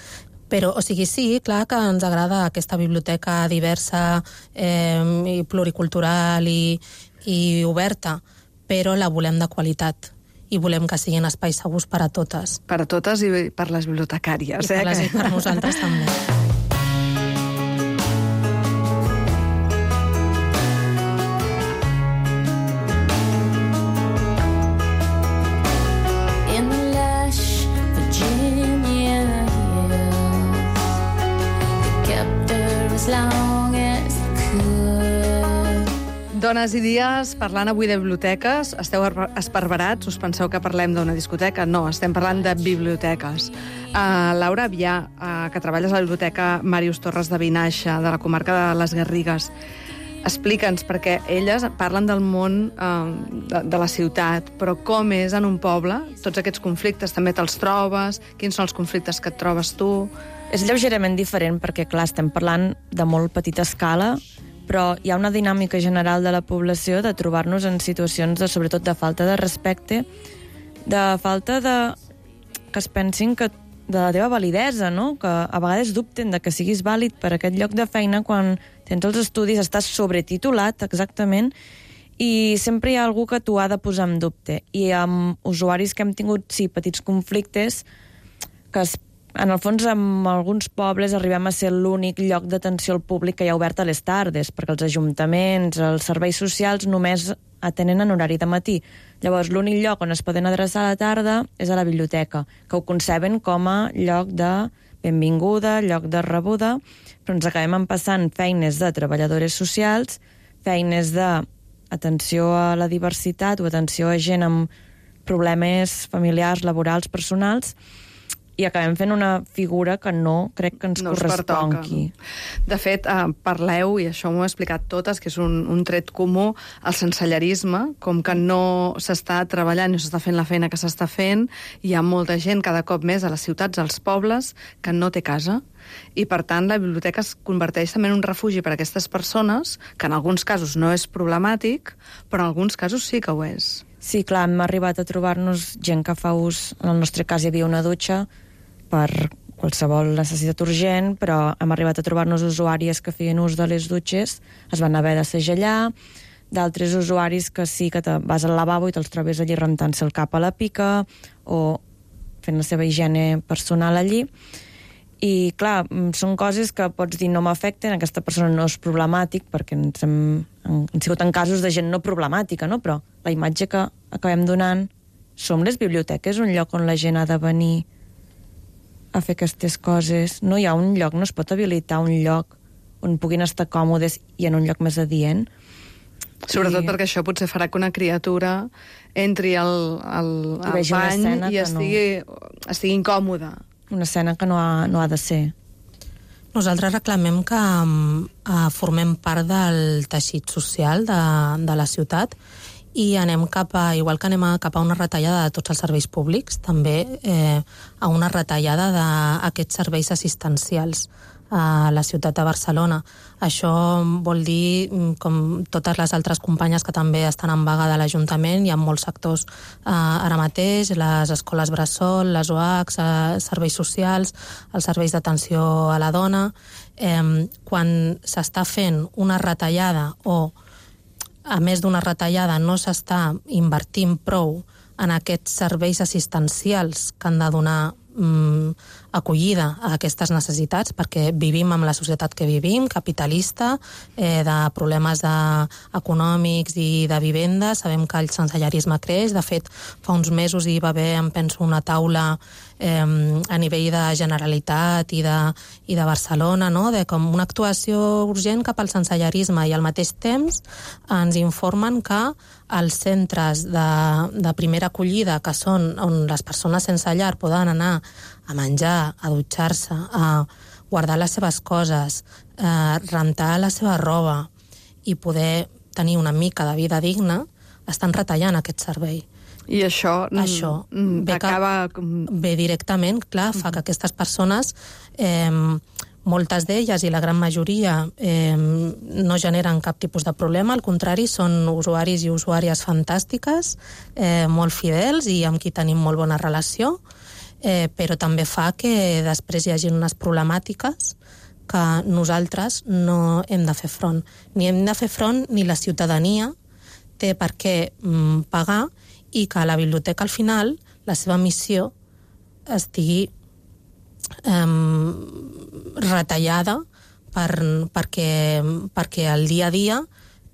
[SPEAKER 5] Però, o sigui, sí, clar que ens agrada aquesta biblioteca diversa eh, i pluricultural i, i oberta, però la volem de qualitat i volem que siguin espais segurs per a totes.
[SPEAKER 1] Per a totes i per les bibliotecàries.
[SPEAKER 5] I per,
[SPEAKER 1] eh?
[SPEAKER 5] les, i
[SPEAKER 1] que-
[SPEAKER 5] per nosaltres també.
[SPEAKER 3] In the lush Virginia hills, they kept her as long as they could.
[SPEAKER 1] Dones i dies, parlant avui de biblioteques, esteu ar- esparverats? Us penseu que parlem d'una discoteca? No, estem parlant de biblioteques. Uh, Laura Avià, uh, que treballes a la biblioteca Màrius Torres de Vinaixa, de la comarca de les Garrigues, explica'ns, perquè elles parlen del món uh, de, de la ciutat, però com és en un poble? Tots aquests conflictes també te'ls trobes? Quins són els conflictes que et trobes tu?
[SPEAKER 6] És lleugerament diferent perquè, clar, estem parlant de molt petita escala, però hi ha una dinàmica general de la població de trobar-nos en situacions de, sobretot, de falta de respecte, de falta de... que es pensin que de la teva validesa, no? Que a vegades dubten de que siguis vàlid per aquest lloc de feina quan tens els estudis, estàs sobretitulat, exactament, i sempre hi ha algú que t'ho ha de posar en dubte. I amb usuaris que hem tingut, sí, petits conflictes, que es en el fons, en alguns pobles arribem a ser l'únic lloc d'atenció al públic que hi ha obert a les tardes, perquè els ajuntaments, els serveis socials només atenen en horari de matí. Llavors, l'únic lloc on es poden adreçar a la tarda és a la biblioteca, que ho conceben com a lloc de benvinguda, lloc de rebuda, però ens acabem empassant feines de treballadores socials, feines d'atenció a la diversitat o atenció a gent amb problemes familiars, laborals, personals, i acabem fent una figura que no crec que ens
[SPEAKER 1] no
[SPEAKER 6] correspongui.
[SPEAKER 1] De fet, eh, parleu, i això m'ho he explicat totes, que és un, un tret comú, el sensellarisme, com que no s'està treballant, no s'està fent la feina que s'està fent, hi ha molta gent cada cop més a les ciutats, als pobles, que no té casa, i per tant la biblioteca es converteix també en un refugi per a aquestes persones, que en alguns casos no és problemàtic, però en alguns casos sí que ho és.
[SPEAKER 6] Sí, clar, hem arribat a trobar-nos gent que fa ús, en el nostre cas hi havia una dutxa, per qualsevol necessitat urgent, però hem arribat a trobar-nos usuàries que feien ús de les dutxes, es van haver de segellar, d'altres usuaris que sí que te vas al lavabo i te'ls trobes allí rentant-se el cap a la pica o fent la seva higiene personal allí. I, clar, són coses que pots dir no m'afecten, aquesta persona no és problemàtic, perquè ens hem, hem sigut en casos de gent no problemàtica, no? Però la imatge que acabem donant, som les biblioteques, un lloc on la gent ha de venir a fer aquestes coses. No hi ha un lloc, no es pot habilitar un lloc on puguin estar còmodes i en un lloc més adient.
[SPEAKER 1] Sobretot
[SPEAKER 6] I...
[SPEAKER 1] perquè això potser farà que una criatura entri al, al, al bany i estigui, no... estigui incòmoda.
[SPEAKER 6] Una escena que no ha, no ha de ser.
[SPEAKER 5] Nosaltres reclamem que uh, formem part del teixit social de, de la ciutat i anem cap a, igual que anem a, cap a una retallada de tots els serveis públics, també eh, a una retallada d'aquests serveis assistencials a la ciutat de Barcelona. Això vol dir, com totes les altres companyes que també estan en vaga de l'Ajuntament, hi ha molts sectors eh, ara mateix, les escoles bressol, les O H, eh, serveis socials, els serveis d'atenció a la dona. Eh, quan s'està fent una retallada o a més d'una retallada, no s'està invertint prou en aquests serveis assistencials que han de donar mm, acollida a aquestes necessitats, perquè vivim amb la societat que vivim, capitalista, eh, de problemes de, econòmics i de vivenda. Sabem que el sensellarisme creix. De fet, fa uns mesos hi va haver, em penso, una taula eh, a nivell de Generalitat i de, i de Barcelona, no? De com una actuació urgent cap al sensellarisme, i al mateix temps ens informen que els centres de, de primera acollida, que són on les persones sense llar poden anar a menjar, a dutxar-se, a guardar les seves coses, a rentar la seva roba i poder tenir una mica de vida digna, estan retallant aquest servei.
[SPEAKER 1] I això,
[SPEAKER 5] això
[SPEAKER 1] ve, acaba...
[SPEAKER 5] que, ve directament, clar, fa que aquestes persones, eh, moltes d'elles i la gran majoria, eh, no generen cap tipus de problema, al contrari, són usuaris i usuàries fantàstiques, eh, molt fidels i amb qui tenim molt bona relació, eh, però també fa que després hi hagi unes problemàtiques que nosaltres no hem de fer front. Ni hem de fer front ni la ciutadania té per què mm, pagar, i que la biblioteca, al final, la seva missió estigui eh, retallada per, perquè, perquè al dia a dia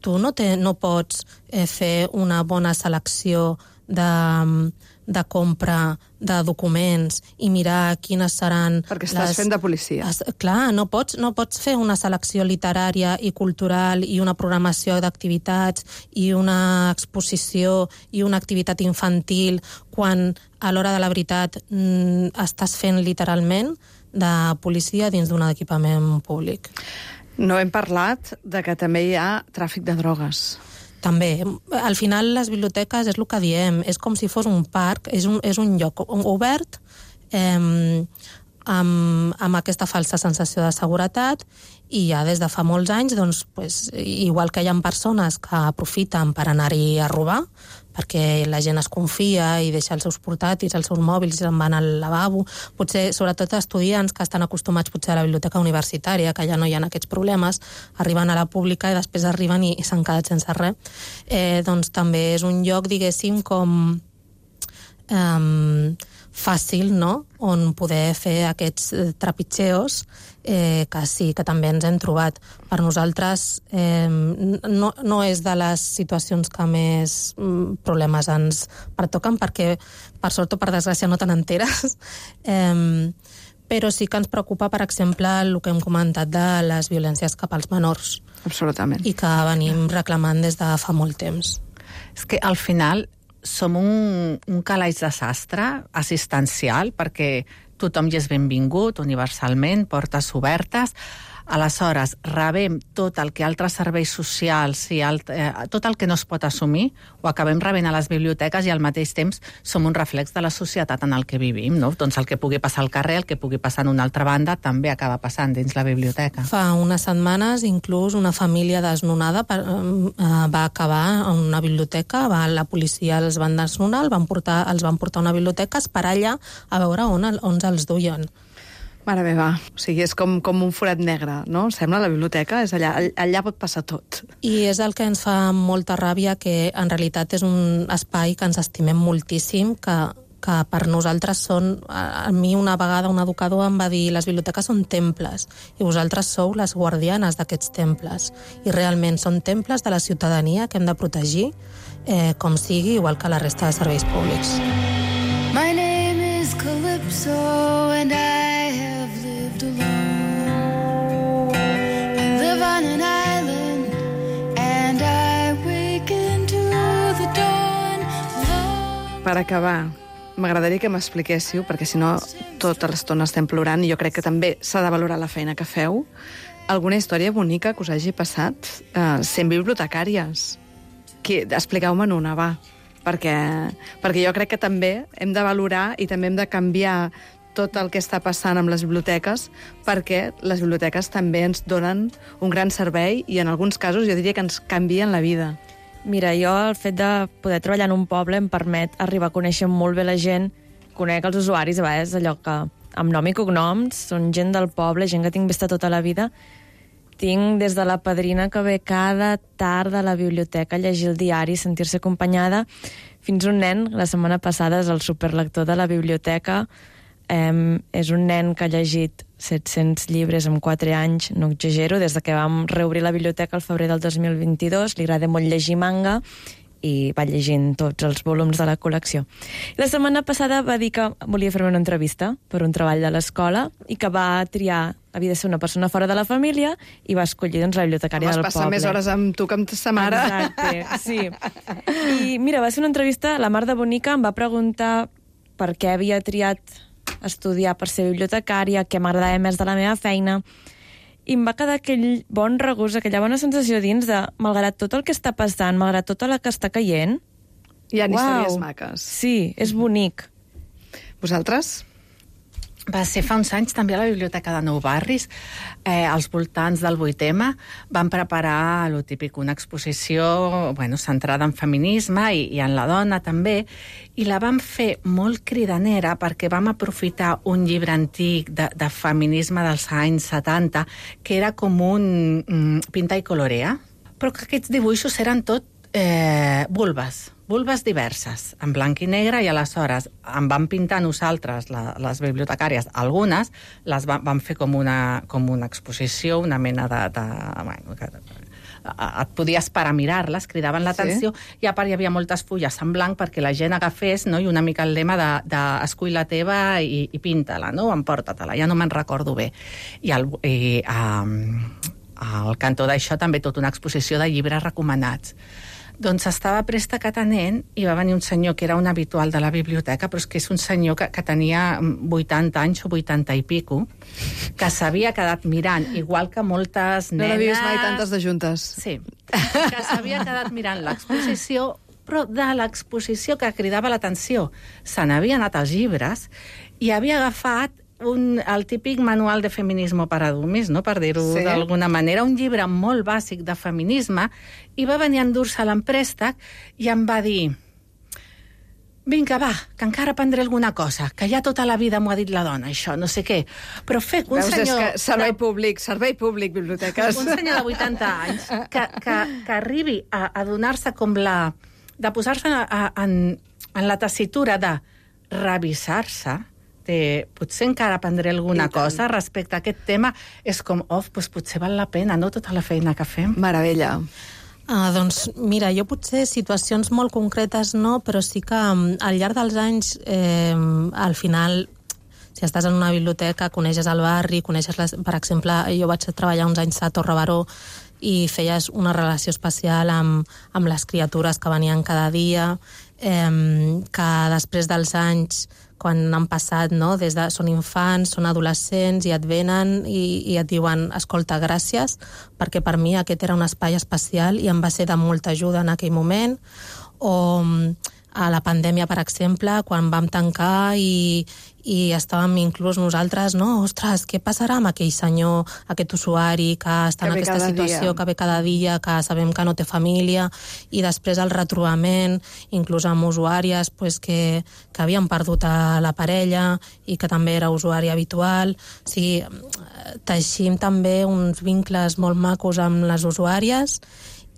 [SPEAKER 5] tu no, te, no pots eh, fer una bona selecció de, de compra de documents i mirar quines seran...
[SPEAKER 1] Perquè estàs
[SPEAKER 5] les...
[SPEAKER 1] fent de policia.
[SPEAKER 5] Es, clar, no pots, no pots fer una selecció literària i cultural i una programació d'activitats i una exposició i una activitat infantil quan a l'hora de la veritat mm, estàs fent literalment de policia dins d'un equipament públic.
[SPEAKER 1] No hem parlat de que també hi ha tràfic de drogues.
[SPEAKER 5] També. Al final, les biblioteques, és el que diem, és com si fos un parc, és un, és un lloc obert eh, amb, amb aquesta falsa sensació de seguretat, i ja des de fa molts anys, doncs, pues, igual que hi ha persones que aprofiten per anar-hi a robar, perquè la gent es confia i deixa els seus portàtils, els seus mòbils i se'n van al lavabo. Potser, sobretot estudiants que estan acostumats potser a la biblioteca universitària, que ja no hi ha aquests problemes, arriben a la pública i després arriben i, i s'han quedat sense res. Eh, doncs també és un lloc, diguéssim, com... Eh, fàcil, no?, on poder fer aquests trepitgeos eh, que sí, que també ens hem trobat. Per nosaltres eh, no, no és de les situacions que més problemes ens pertoquen, perquè per sort o per desgràcia no te n'enteres, eh, però sí que ens preocupa, per exemple, el que hem comentat de les violències cap als menors.
[SPEAKER 1] Absolutament.
[SPEAKER 5] I que venim reclamant des de fa molt temps.
[SPEAKER 4] És que al final som un, un calaix de sastre assistencial, perquè tothom hi és benvingut universalment, portes obertes. Aleshores, rebem tot el que altres serveis socials i alt, eh, tot el que no es pot assumir, ho acabem rebent a les biblioteques i al mateix temps som un reflex de la societat en el que vivim, no? Doncs el que pugui passar al carrer, el que pugui passar en una altra banda, també acaba passant dins la biblioteca.
[SPEAKER 5] Fa unes setmanes, inclús, una família desnonada per, eh, va acabar en una biblioteca, va, la policia els van desnonar, el van portar, els van portar a una biblioteca, esperar allà a veure on, on els duien.
[SPEAKER 1] Mare meva, o sigui, és com, com un forat negre, no? Sembla la biblioteca, és allà, allà pot passar tot.
[SPEAKER 5] I és el que ens fa molta ràbia, que en realitat és un espai que ens estimem moltíssim, que, que per nosaltres són... A mi una vegada un educador em va dir: les biblioteques són temples, i vosaltres sou les guardianes d'aquests temples. I realment són temples de la ciutadania que hem de protegir, eh, com sigui, igual que la resta de serveis públics.
[SPEAKER 3] My name is Calypso and I have lived alone. I live on an island and I waken to the dawn.
[SPEAKER 1] Per acabar, m'agradaria que m'expliquéssiu, perquè si no tota l'estona estem plorant, i jo crec que també s'ha de valorar la feina que feu, alguna història bonica que us hagi passat eh, sent bibliotecàries. Que, expliqueu-me'n una, va. Perquè, perquè jo crec que també hem de valorar i també hem de canviar tot el que està passant amb les biblioteques, perquè les biblioteques també ens donen un gran servei i en alguns casos jo diria que ens canvien la vida.
[SPEAKER 6] Mira, jo el fet de poder treballar en un poble em permet arribar a conèixer molt bé la gent, conec els usuaris, a vegades allò que amb nom i cognoms, són gent del poble, gent que tinc vista tota la vida. Tinc des de la padrina que ve cada tarda a la biblioteca a llegir el diari, sentir-se acompanyada, fins un nen, la setmana passada és el superlector de la biblioteca, eh, és un nen que ha llegit set-cents llibres en quatre anys, no exagero, des de que vam reobrir la biblioteca al febrer del dos mil vint-i-dos, li agrada molt llegir manga, i va llegint tots els volums de la col·lecció. La setmana passada va dir que volia fer-me una entrevista per un treball de l'escola i que va triar, havia de ser una persona fora de la família, i va escollir doncs, la bibliotecària del poble.
[SPEAKER 1] Vas passar més hores amb tu que amb sa mare.
[SPEAKER 6] Exacte, sí. I mira, va ser una entrevista, la Mar de Bonica em va preguntar per què havia triat estudiar per ser bibliotecària, què m'agradava més de la meva feina, i em va quedar aquell bon regust, aquella bona sensació dins de, malgrat tot el que està passant, malgrat tot el que està caient...
[SPEAKER 1] Hi ha
[SPEAKER 6] Uau.
[SPEAKER 1] històries maques.
[SPEAKER 6] Sí, és bonic.
[SPEAKER 1] Vosaltres?
[SPEAKER 4] Va ser fa uns anys també a la Biblioteca de Nou Barris, eh, als voltants del vuit eme, van preparar lo típic, una exposició bueno, centrada en feminisme i, i en la dona també, i la vam fer molt cridanera perquè vam aprofitar un llibre antic de, de feminisme dels anys setanta, que era com un mm, pinta i colorea, però que aquests dibuixos eren tot eh, vulves, vulves diverses, en blanc i negre, i aleshores en vam pintar nosaltres, la, les bibliotecàries, algunes, les va, vam fer com una, com una exposició, una mena de... de bueno, que, et podies parar a mirar-les, cridaven l'atenció, sí? I a part hi havia moltes fulles en blanc perquè la gent agafés, no? I una mica el lema de, de escull la teva i, i pinta-la, no? Emporta-te-la, ja no me'n recordo bé. I, el, i um, al cantó d'això també tota una exposició de llibres recomanats. Doncs estava presta que atenent i va venir un senyor que era un habitual de la biblioteca, però és que és un senyor que, que tenia vuitanta anys o vuitanta i pico, que s'havia quedat mirant, igual que moltes nenes...
[SPEAKER 1] No l'havies mai tantes de juntes.
[SPEAKER 4] Sí, que s'havia quedat mirant l'exposició, però de l'exposició que cridava l'atenció. Se n'havia anat als llibres i havia agafat un, el típic manual de feminisme per adults, no? Per dir-ho sí. d'alguna manera, un llibre molt bàsic de feminisme, i va venir a endur-se l'emprèstec i em va dir: vinga, va, que encara aprendré alguna cosa, que ja tota la vida m'ho ha dit la dona, això, no sé què. Però fer un
[SPEAKER 1] Veus,
[SPEAKER 4] senyor...
[SPEAKER 1] És que servei públic, servei públic, biblioteques.
[SPEAKER 4] Un senyor de vuitanta anys que, que, que arribi a, a donar-se com la... de posar-se en, en, en la tessitura de revisar-se, de, potser encara aprendré alguna cosa respecte a aquest tema, és com, oh, doncs potser val la pena, no?, tota la feina que fem.
[SPEAKER 1] Meravella.
[SPEAKER 5] Ah, doncs mira, jo potser situacions molt concretes no, però sí que al llarg dels anys, eh, al final, si estàs en una biblioteca, coneixes el barri, coneixes, les, per exemple, jo vaig treballar uns anys a Torre Baró i feies una relació especial amb, amb les criatures que venien cada dia, eh, que després dels anys, quan han passat, no? Des de, són infants, són adolescents i et venen i, i et diuen, escolta, gràcies, perquè per mi aquest era un espai especial i em va ser de molta ajuda en aquell moment. O a la pandèmia, per exemple, quan vam tancar i, i estàvem inclús nosaltres, no? Ostres, què passarà amb aquell senyor, aquest usuari que està en aquesta situació, que ve cada dia, que sabem que no té família, i després el retrobament, inclús amb usuàries pues, que, que havien perdut a la parella i que també era usuari habitual. O sigui, teixim també uns vincles molt macos amb les usuàries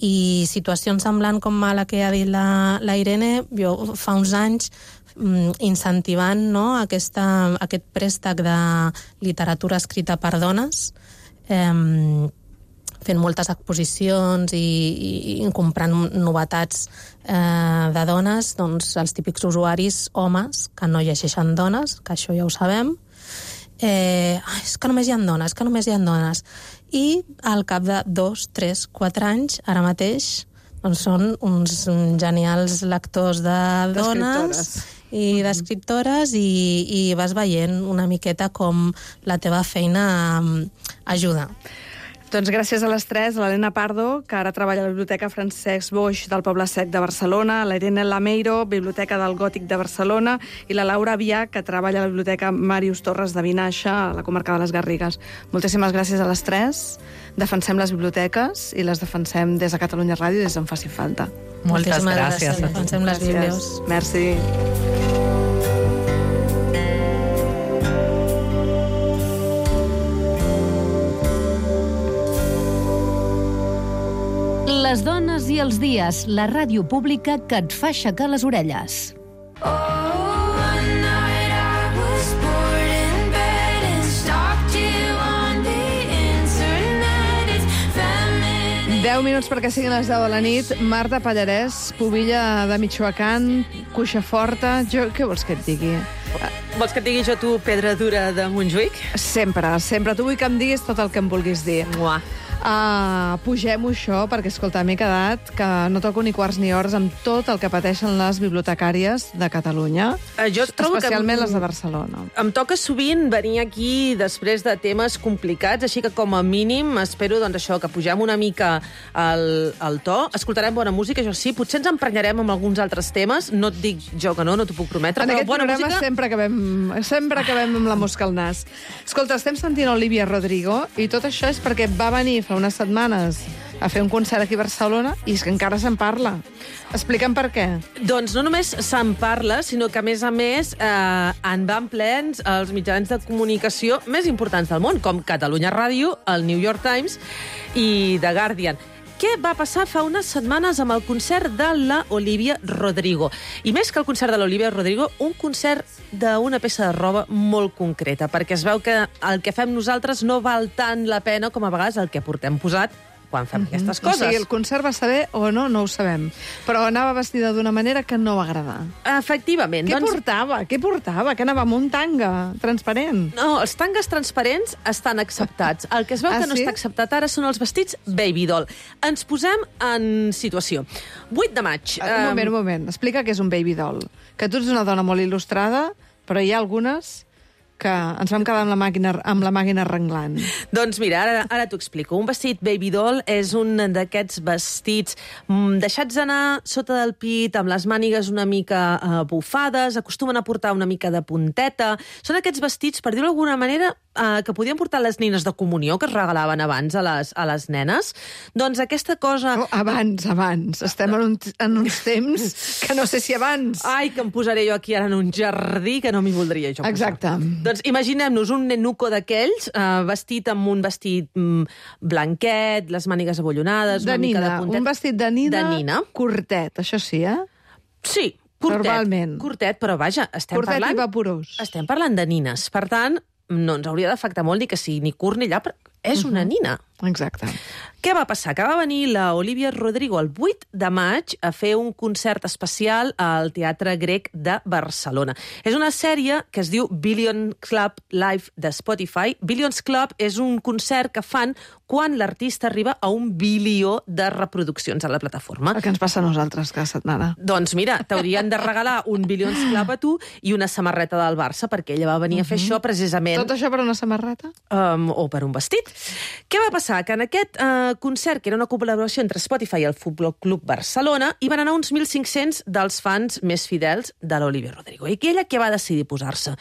[SPEAKER 5] i situacions semblants com a la que ha dit la, la Irene, jo fa uns anys incentivant no, aquesta, aquest préstec de literatura escrita per dones, eh, fent moltes exposicions i, i, i comprant novetats eh, de dones, doncs els típics usuaris homes que no llegeixen dones, que això ja ho sabem, eh, és que només hi ha dones, que només hi ha dones. I al cap de dos, tres, quatre anys, ara mateix, doncs són uns genials lectors de dones i d'escriptores i, i vas veient una miqueta com la teva feina ajuda.
[SPEAKER 1] Doncs gràcies a les tres, a l'Helena Pardo, que ara treballa a la Biblioteca Francesc Boix del Poble Sec de Barcelona, a la Irene Lameiro, Biblioteca del Gòtic de Barcelona, i la Laura Avià, que treballa a la Biblioteca Màrius Torres de Vinaixa, a la comarca de les Garrigues. Moltíssimes gràcies a les tres. Defensem les biblioteques i les defensem des de Catalunya Ràdio des d'on faci falta.
[SPEAKER 4] Moltes gràcies. gràcies.
[SPEAKER 5] Defensem les biblios.
[SPEAKER 1] Merci.
[SPEAKER 7] Les dones i els dies, la ràdio pública que et fa aixecar les orelles.
[SPEAKER 1] deu minuts perquè siguin les deu de la nit. Marta Pallarès, pubilla de Michoacán, cuixa forta. Jo, què vols que et digui?
[SPEAKER 8] Vols que et digui jo tu pedra dura de Montjuïc?
[SPEAKER 1] Sempre, sempre. Tu vull que em diguis tot el que em vulguis dir.
[SPEAKER 8] Uah.
[SPEAKER 1] Uh, pugem-ho això, perquè, escolta, m'he quedat que no toco ni quarts ni hores amb tot el que pateixen les bibliotecàries de Catalunya,
[SPEAKER 8] uh, jo trobo
[SPEAKER 1] especialment
[SPEAKER 8] que
[SPEAKER 1] les de Barcelona.
[SPEAKER 8] Em toca sovint venir aquí després de temes complicats, així que com a mínim espero doncs, això, que pugem una mica el, el to. Escoltarem bona música, això sí, potser ens emprenyarem amb alguns altres temes, no et dic jo que no, no t'ho puc prometre,
[SPEAKER 1] en
[SPEAKER 8] però
[SPEAKER 1] aquest
[SPEAKER 8] bona
[SPEAKER 1] programa
[SPEAKER 8] música...
[SPEAKER 1] sempre acabem, sempre acabem amb la mosca al nas. Escolta, estem sentint Olivia Rodrigo i tot això és perquè va venir fa unes setmanes a fer un concert aquí a Barcelona i és que encara se'n parla. Explica'm per què.
[SPEAKER 8] Doncs no només se'n parla, sinó que, a més a més, eh, en van plens els mitjans de comunicació més importants del món, com Catalunya Ràdio, el New York Times i The Guardian. Què va passar fa unes setmanes amb el concert de la Olivia Rodrigo? I més que el concert de l'Olivia Rodrigo, un concert d'una peça de roba molt concreta, perquè es veu que el que fem nosaltres no val tant la pena com a vegades el que portem posat quan fem mm-hmm. aquestes coses.
[SPEAKER 1] O sigui, el concert va saber o no, no ho sabem. Però anava vestida d'una manera que no va agradar.
[SPEAKER 8] Efectivament.
[SPEAKER 1] Què
[SPEAKER 8] doncs...
[SPEAKER 1] portava? Què portava? Que anava amb un tanga transparent?
[SPEAKER 8] No, els tangues transparents estan acceptats. El que es veu
[SPEAKER 1] ah,
[SPEAKER 8] que no
[SPEAKER 1] sí?
[SPEAKER 8] està acceptat ara són els vestits baby doll. Ens posem en situació. vuit de maig.
[SPEAKER 1] Un moment, un moment. Explica què és un baby doll. Que tu ets una dona molt il·lustrada, però hi ha algunes que ens vam quedar amb la màquina, amb la màquina renglant.
[SPEAKER 8] Doncs mira, ara, ara t'ho explico. Un vestit baby doll és un d'aquests vestits mm, deixats anar sota del pit, amb les mànigues una mica eh, bufades, acostumen a portar una mica de punteta. Són aquests vestits, per dir-ho d'alguna manera, eh, que podien portar les nines de comunió, que es regalaven abans a les, a les nenes. Doncs aquesta cosa...
[SPEAKER 1] Oh, abans, abans. Estem en, un, en uns temps que no sé si abans...
[SPEAKER 8] Ai, que em posaré jo aquí ara en un jardí que no m'hi voldria jo posar.
[SPEAKER 1] Exacte.
[SPEAKER 8] Doncs imaginem-nos un nenuco d'aquells, eh, vestit amb un vestit mm, blanquet, les mànigues abollonades,
[SPEAKER 1] de
[SPEAKER 8] una
[SPEAKER 1] nina,
[SPEAKER 8] mica de puntet.
[SPEAKER 1] Un vestit de nina,
[SPEAKER 8] de nina,
[SPEAKER 1] curtet, això sí, eh?
[SPEAKER 8] Sí, curtet,
[SPEAKER 1] normalment.
[SPEAKER 8] Curtet, però vaja, estem
[SPEAKER 1] Curtet
[SPEAKER 8] parlant...
[SPEAKER 1] i vaporós.
[SPEAKER 8] Estem parlant de nines. Per tant, no ens hauria d'afectar molt ni que sigui ni curt ni llà, però és una nina.
[SPEAKER 1] Exacte.
[SPEAKER 8] Què va passar? Que va venir la Olivia Rodrigo el vuit de maig a fer un concert especial al Teatre Grec de Barcelona. És una sèrie que es diu Billions Club Live de Spotify. Billions Club és un concert que fan quan l'artista arriba a un bilió de reproduccions a la plataforma.
[SPEAKER 1] El que ens passa a nosaltres cada setmana.
[SPEAKER 8] Doncs mira, t'haurien de regalar un Billions Club a tu i una samarreta del Barça, perquè ella va venir uh -huh. a fer això precisament...
[SPEAKER 1] Tot això per una samarreta?
[SPEAKER 8] Um, o per un vestit. Què va passar? Que en aquest uh, concert, que era una col·laboració entre Spotify i el Futbol Club Barcelona, hi van anar uns mil cinc-cents dels fans més fidels de l'Olivia Rodrigo. I ella què va decidir posar-se?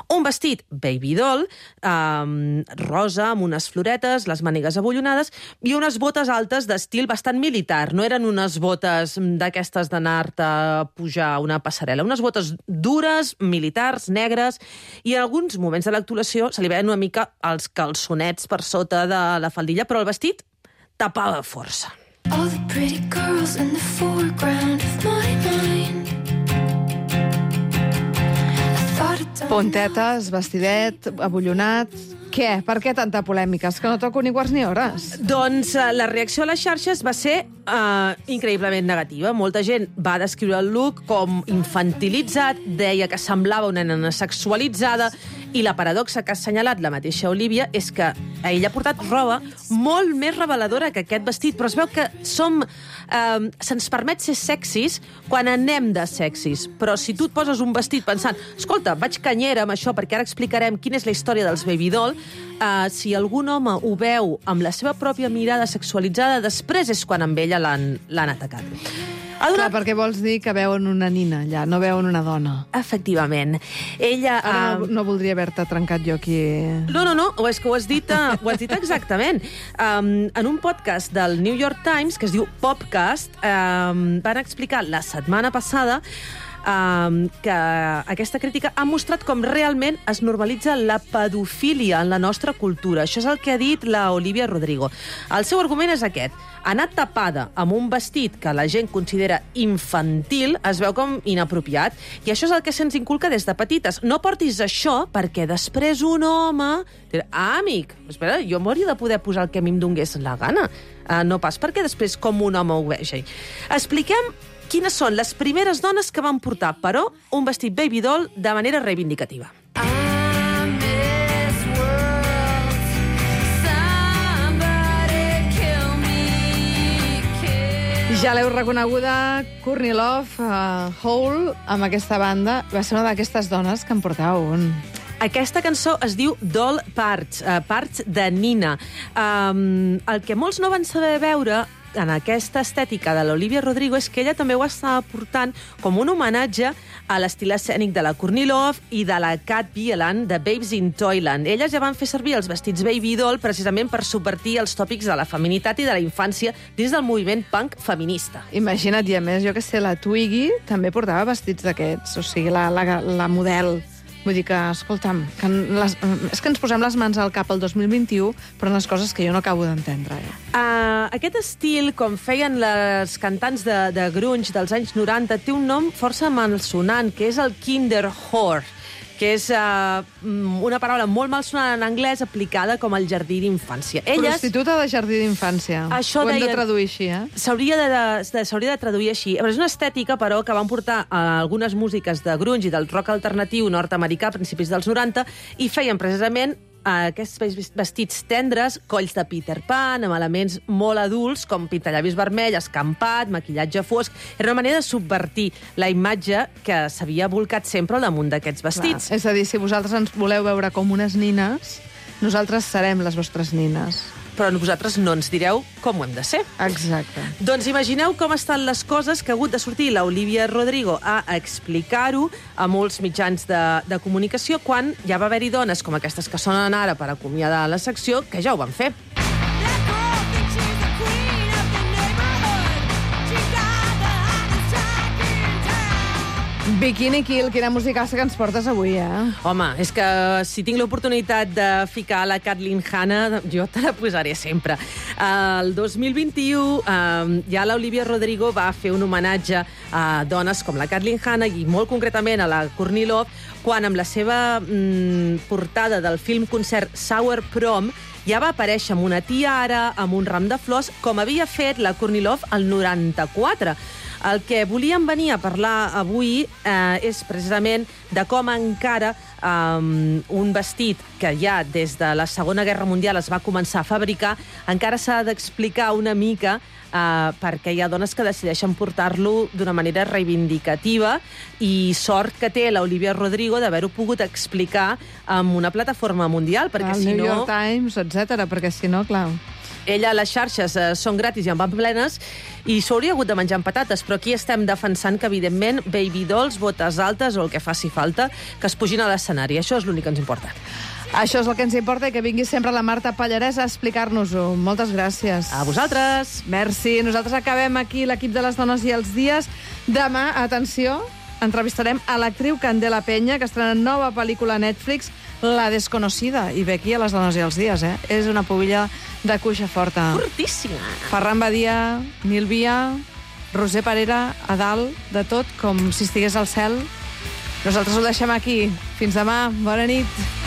[SPEAKER 8] Un vestit baby doll, um, rosa, amb unes floretes, les mànigues abollonades, i unes botes altes d'estil bastant militar. No eren unes botes d'aquestes d'anar-te a pujar una passarel·la. Unes botes dures, militars, negres, i en alguns moments de l'actuació se li veien una mica els calçonets per sota de la faldilla, però el vestit tapava força.
[SPEAKER 3] All the pretty girls in the foreground of my mind. I thought it done.
[SPEAKER 1] Puntetes, vestidet, abollonat... Què? Per què tanta polèmica? És que no toco ni quarts ni hores.
[SPEAKER 8] Doncs uh, la reacció a les xarxes va ser uh, increïblement negativa. Molta gent va descriure el look com infantilitzat, deia que semblava una nena sexualitzada, i la paradoxa que ha assenyalat la mateixa Olivia és que ella ha portat roba molt més reveladora que aquest vestit, però es veu que som... Uh, se'ns permet ser sexis quan anem de sexis, però si tu et poses un vestit pensant, escolta, vaig canyera amb això perquè ara explicarem quina és la història dels baby doll, uh, si algun home ho veu amb la seva pròpia mirada sexualitzada, després és quan amb ella l'han l'han atacat. Ha donat...
[SPEAKER 1] Clar, perquè vols dir que veuen una nina allà, no veuen una dona.
[SPEAKER 8] Efectivament. Ella...
[SPEAKER 1] Ara no,
[SPEAKER 8] uh...
[SPEAKER 1] no voldria haver-te trencat jo aquí...
[SPEAKER 8] No, no, no, és que ho has dit, uh, ho has dit exactament. Um, en un podcast del New York Times, que es diu Popcast, um, van explicar la setmana passada Um, que aquesta crítica ha mostrat com realment es normalitza la pedofília en la nostra cultura. Això és el que ha dit la Olivia Rodrigo. El seu argument és aquest. Anar tapada amb un vestit que la gent considera infantil es veu com inapropiat, i això és el que se'ns inculca des de petites. No portis això perquè després un home... Ah, amic, espera, jo m'hauria de poder posar el que a mi em donés la gana. Uh, no pas perquè després com un home ho vegi. Expliquem quines són les primeres dones que van portar, però, un vestit baby doll de manera reivindicativa.
[SPEAKER 1] Ja l'heu reconeguda, Courtney Love, uh, Hole, amb aquesta banda. Va ser una d'aquestes dones que en portava un.
[SPEAKER 8] Aquesta cançó es diu Doll Parts, uh, Parts de Nina. Um, el que molts no van saber veure en aquesta estètica de l'Olivia Rodrigo és que ella també ho estava portant com un homenatge a l'estil escènic de la Courtney Love i de la Kat Bielan de Babes in Toyland. Elles ja van fer servir els vestits baby doll precisament per subvertir els tòpics de la feminitat i de la infància dins del moviment punk feminista.
[SPEAKER 1] Imagina't, i a més, jo que sé, la Twiggy també portava vestits d'aquests, o sigui, la, la, la model. Vull dir que, escolta'm, que les, és que ens posem les mans al cap el dos mil vint-i-u, però unes coses que jo no acabo d'entendre. Eh?
[SPEAKER 8] Uh, aquest estil, com feien les cantants de, de grunge dels anys noranta, té un nom força malsonant, que és el Kinderhore, que és uh, una paraula molt malsonant en anglès aplicada com el jardí d'infància. Elles...
[SPEAKER 1] Prostituta de jardí d'infància.
[SPEAKER 8] Això
[SPEAKER 1] ho hem
[SPEAKER 8] deien...
[SPEAKER 1] de traduir així, eh?
[SPEAKER 8] S'hauria de, de, s'hauria de traduir així. És una estètica, però, que van portar a algunes músiques de grunge i del rock alternatiu nord-americà a principis dels noranta i feien precisament aquests vestits tendres, colls de Peter Pan, amb elements molt adults, com pintallavis vermell, escampat, maquillatge fosc. Era una manera de subvertir la imatge que s'havia volcat sempre al damunt d'aquests vestits.
[SPEAKER 1] Clar. És a dir, si vosaltres ens voleu veure com unes nines, nosaltres serem les vostres nines.
[SPEAKER 8] Però vosaltres no ens direu com ho hem de ser.
[SPEAKER 1] Exacte.
[SPEAKER 8] Doncs imagineu com estan les coses que ha hagut de sortir la Olivia Rodrigo a explicar-ho a molts mitjans de, de comunicació quan ja va haver-hi dones com aquestes que sonen ara per acomiadar la secció que ja ho van fer.
[SPEAKER 1] Bikini Kill, quina musicassa que ens portes avui, eh?
[SPEAKER 8] Home, és que si tinc l'oportunitat de ficar la Kathleen Hanna, jo te la posaré sempre. El dos mil vint-i-u eh, ja l'Olivia Rodrigo va fer un homenatge a dones com la Kathleen Hanna i molt concretament a la Courtney Love, quan amb la seva mm, portada del film concert Sour Prom ja va aparèixer amb una tiara, amb un ram de flors, com havia fet la Courtney Love al noranta-quatre. El que volíem venir a parlar avui eh, és precisament de com encara eh, un vestit que ja des de la Segona Guerra Mundial es va començar a fabricar, encara s'ha d'explicar una mica eh, perquè hi ha dones que decideixen portar-lo d'una manera reivindicativa i sort que té l'Olivia Rodrigo d'haver-ho pogut explicar amb una plataforma mundial, perquè
[SPEAKER 1] el
[SPEAKER 8] si
[SPEAKER 1] New
[SPEAKER 8] no...
[SPEAKER 1] York Times, etcètera, perquè si no, clar...
[SPEAKER 8] Ella, les xarxes eh, són gratis i en van plenes i s'hauria hagut de menjar amb patates, però aquí estem defensant que, evidentment, baby dolls, botes altes o el que faci falta, que es pugin a l'escenari. Això és l'únic que ens importa.
[SPEAKER 1] Això és el que ens importa i que vingui sempre la Marta Pallarès a explicar-nos-ho. Moltes gràcies.
[SPEAKER 8] A vosaltres.
[SPEAKER 1] Merci. Nosaltres acabem aquí l'equip de les dones i els dies. Demà, atenció, entrevistarem a l'actriu Candela Peña, que estrena nova pel·lícula a Netflix, La desconocida. I ve aquí a les dones i els dies, eh? És una pubilla de cuixa forta.
[SPEAKER 8] Fortíssima.
[SPEAKER 1] Ferran Badia, Nil Via, Roser Parera, a dalt de tot, com si estigués al cel. Nosaltres ho deixem aquí. Fins demà. Bona nit.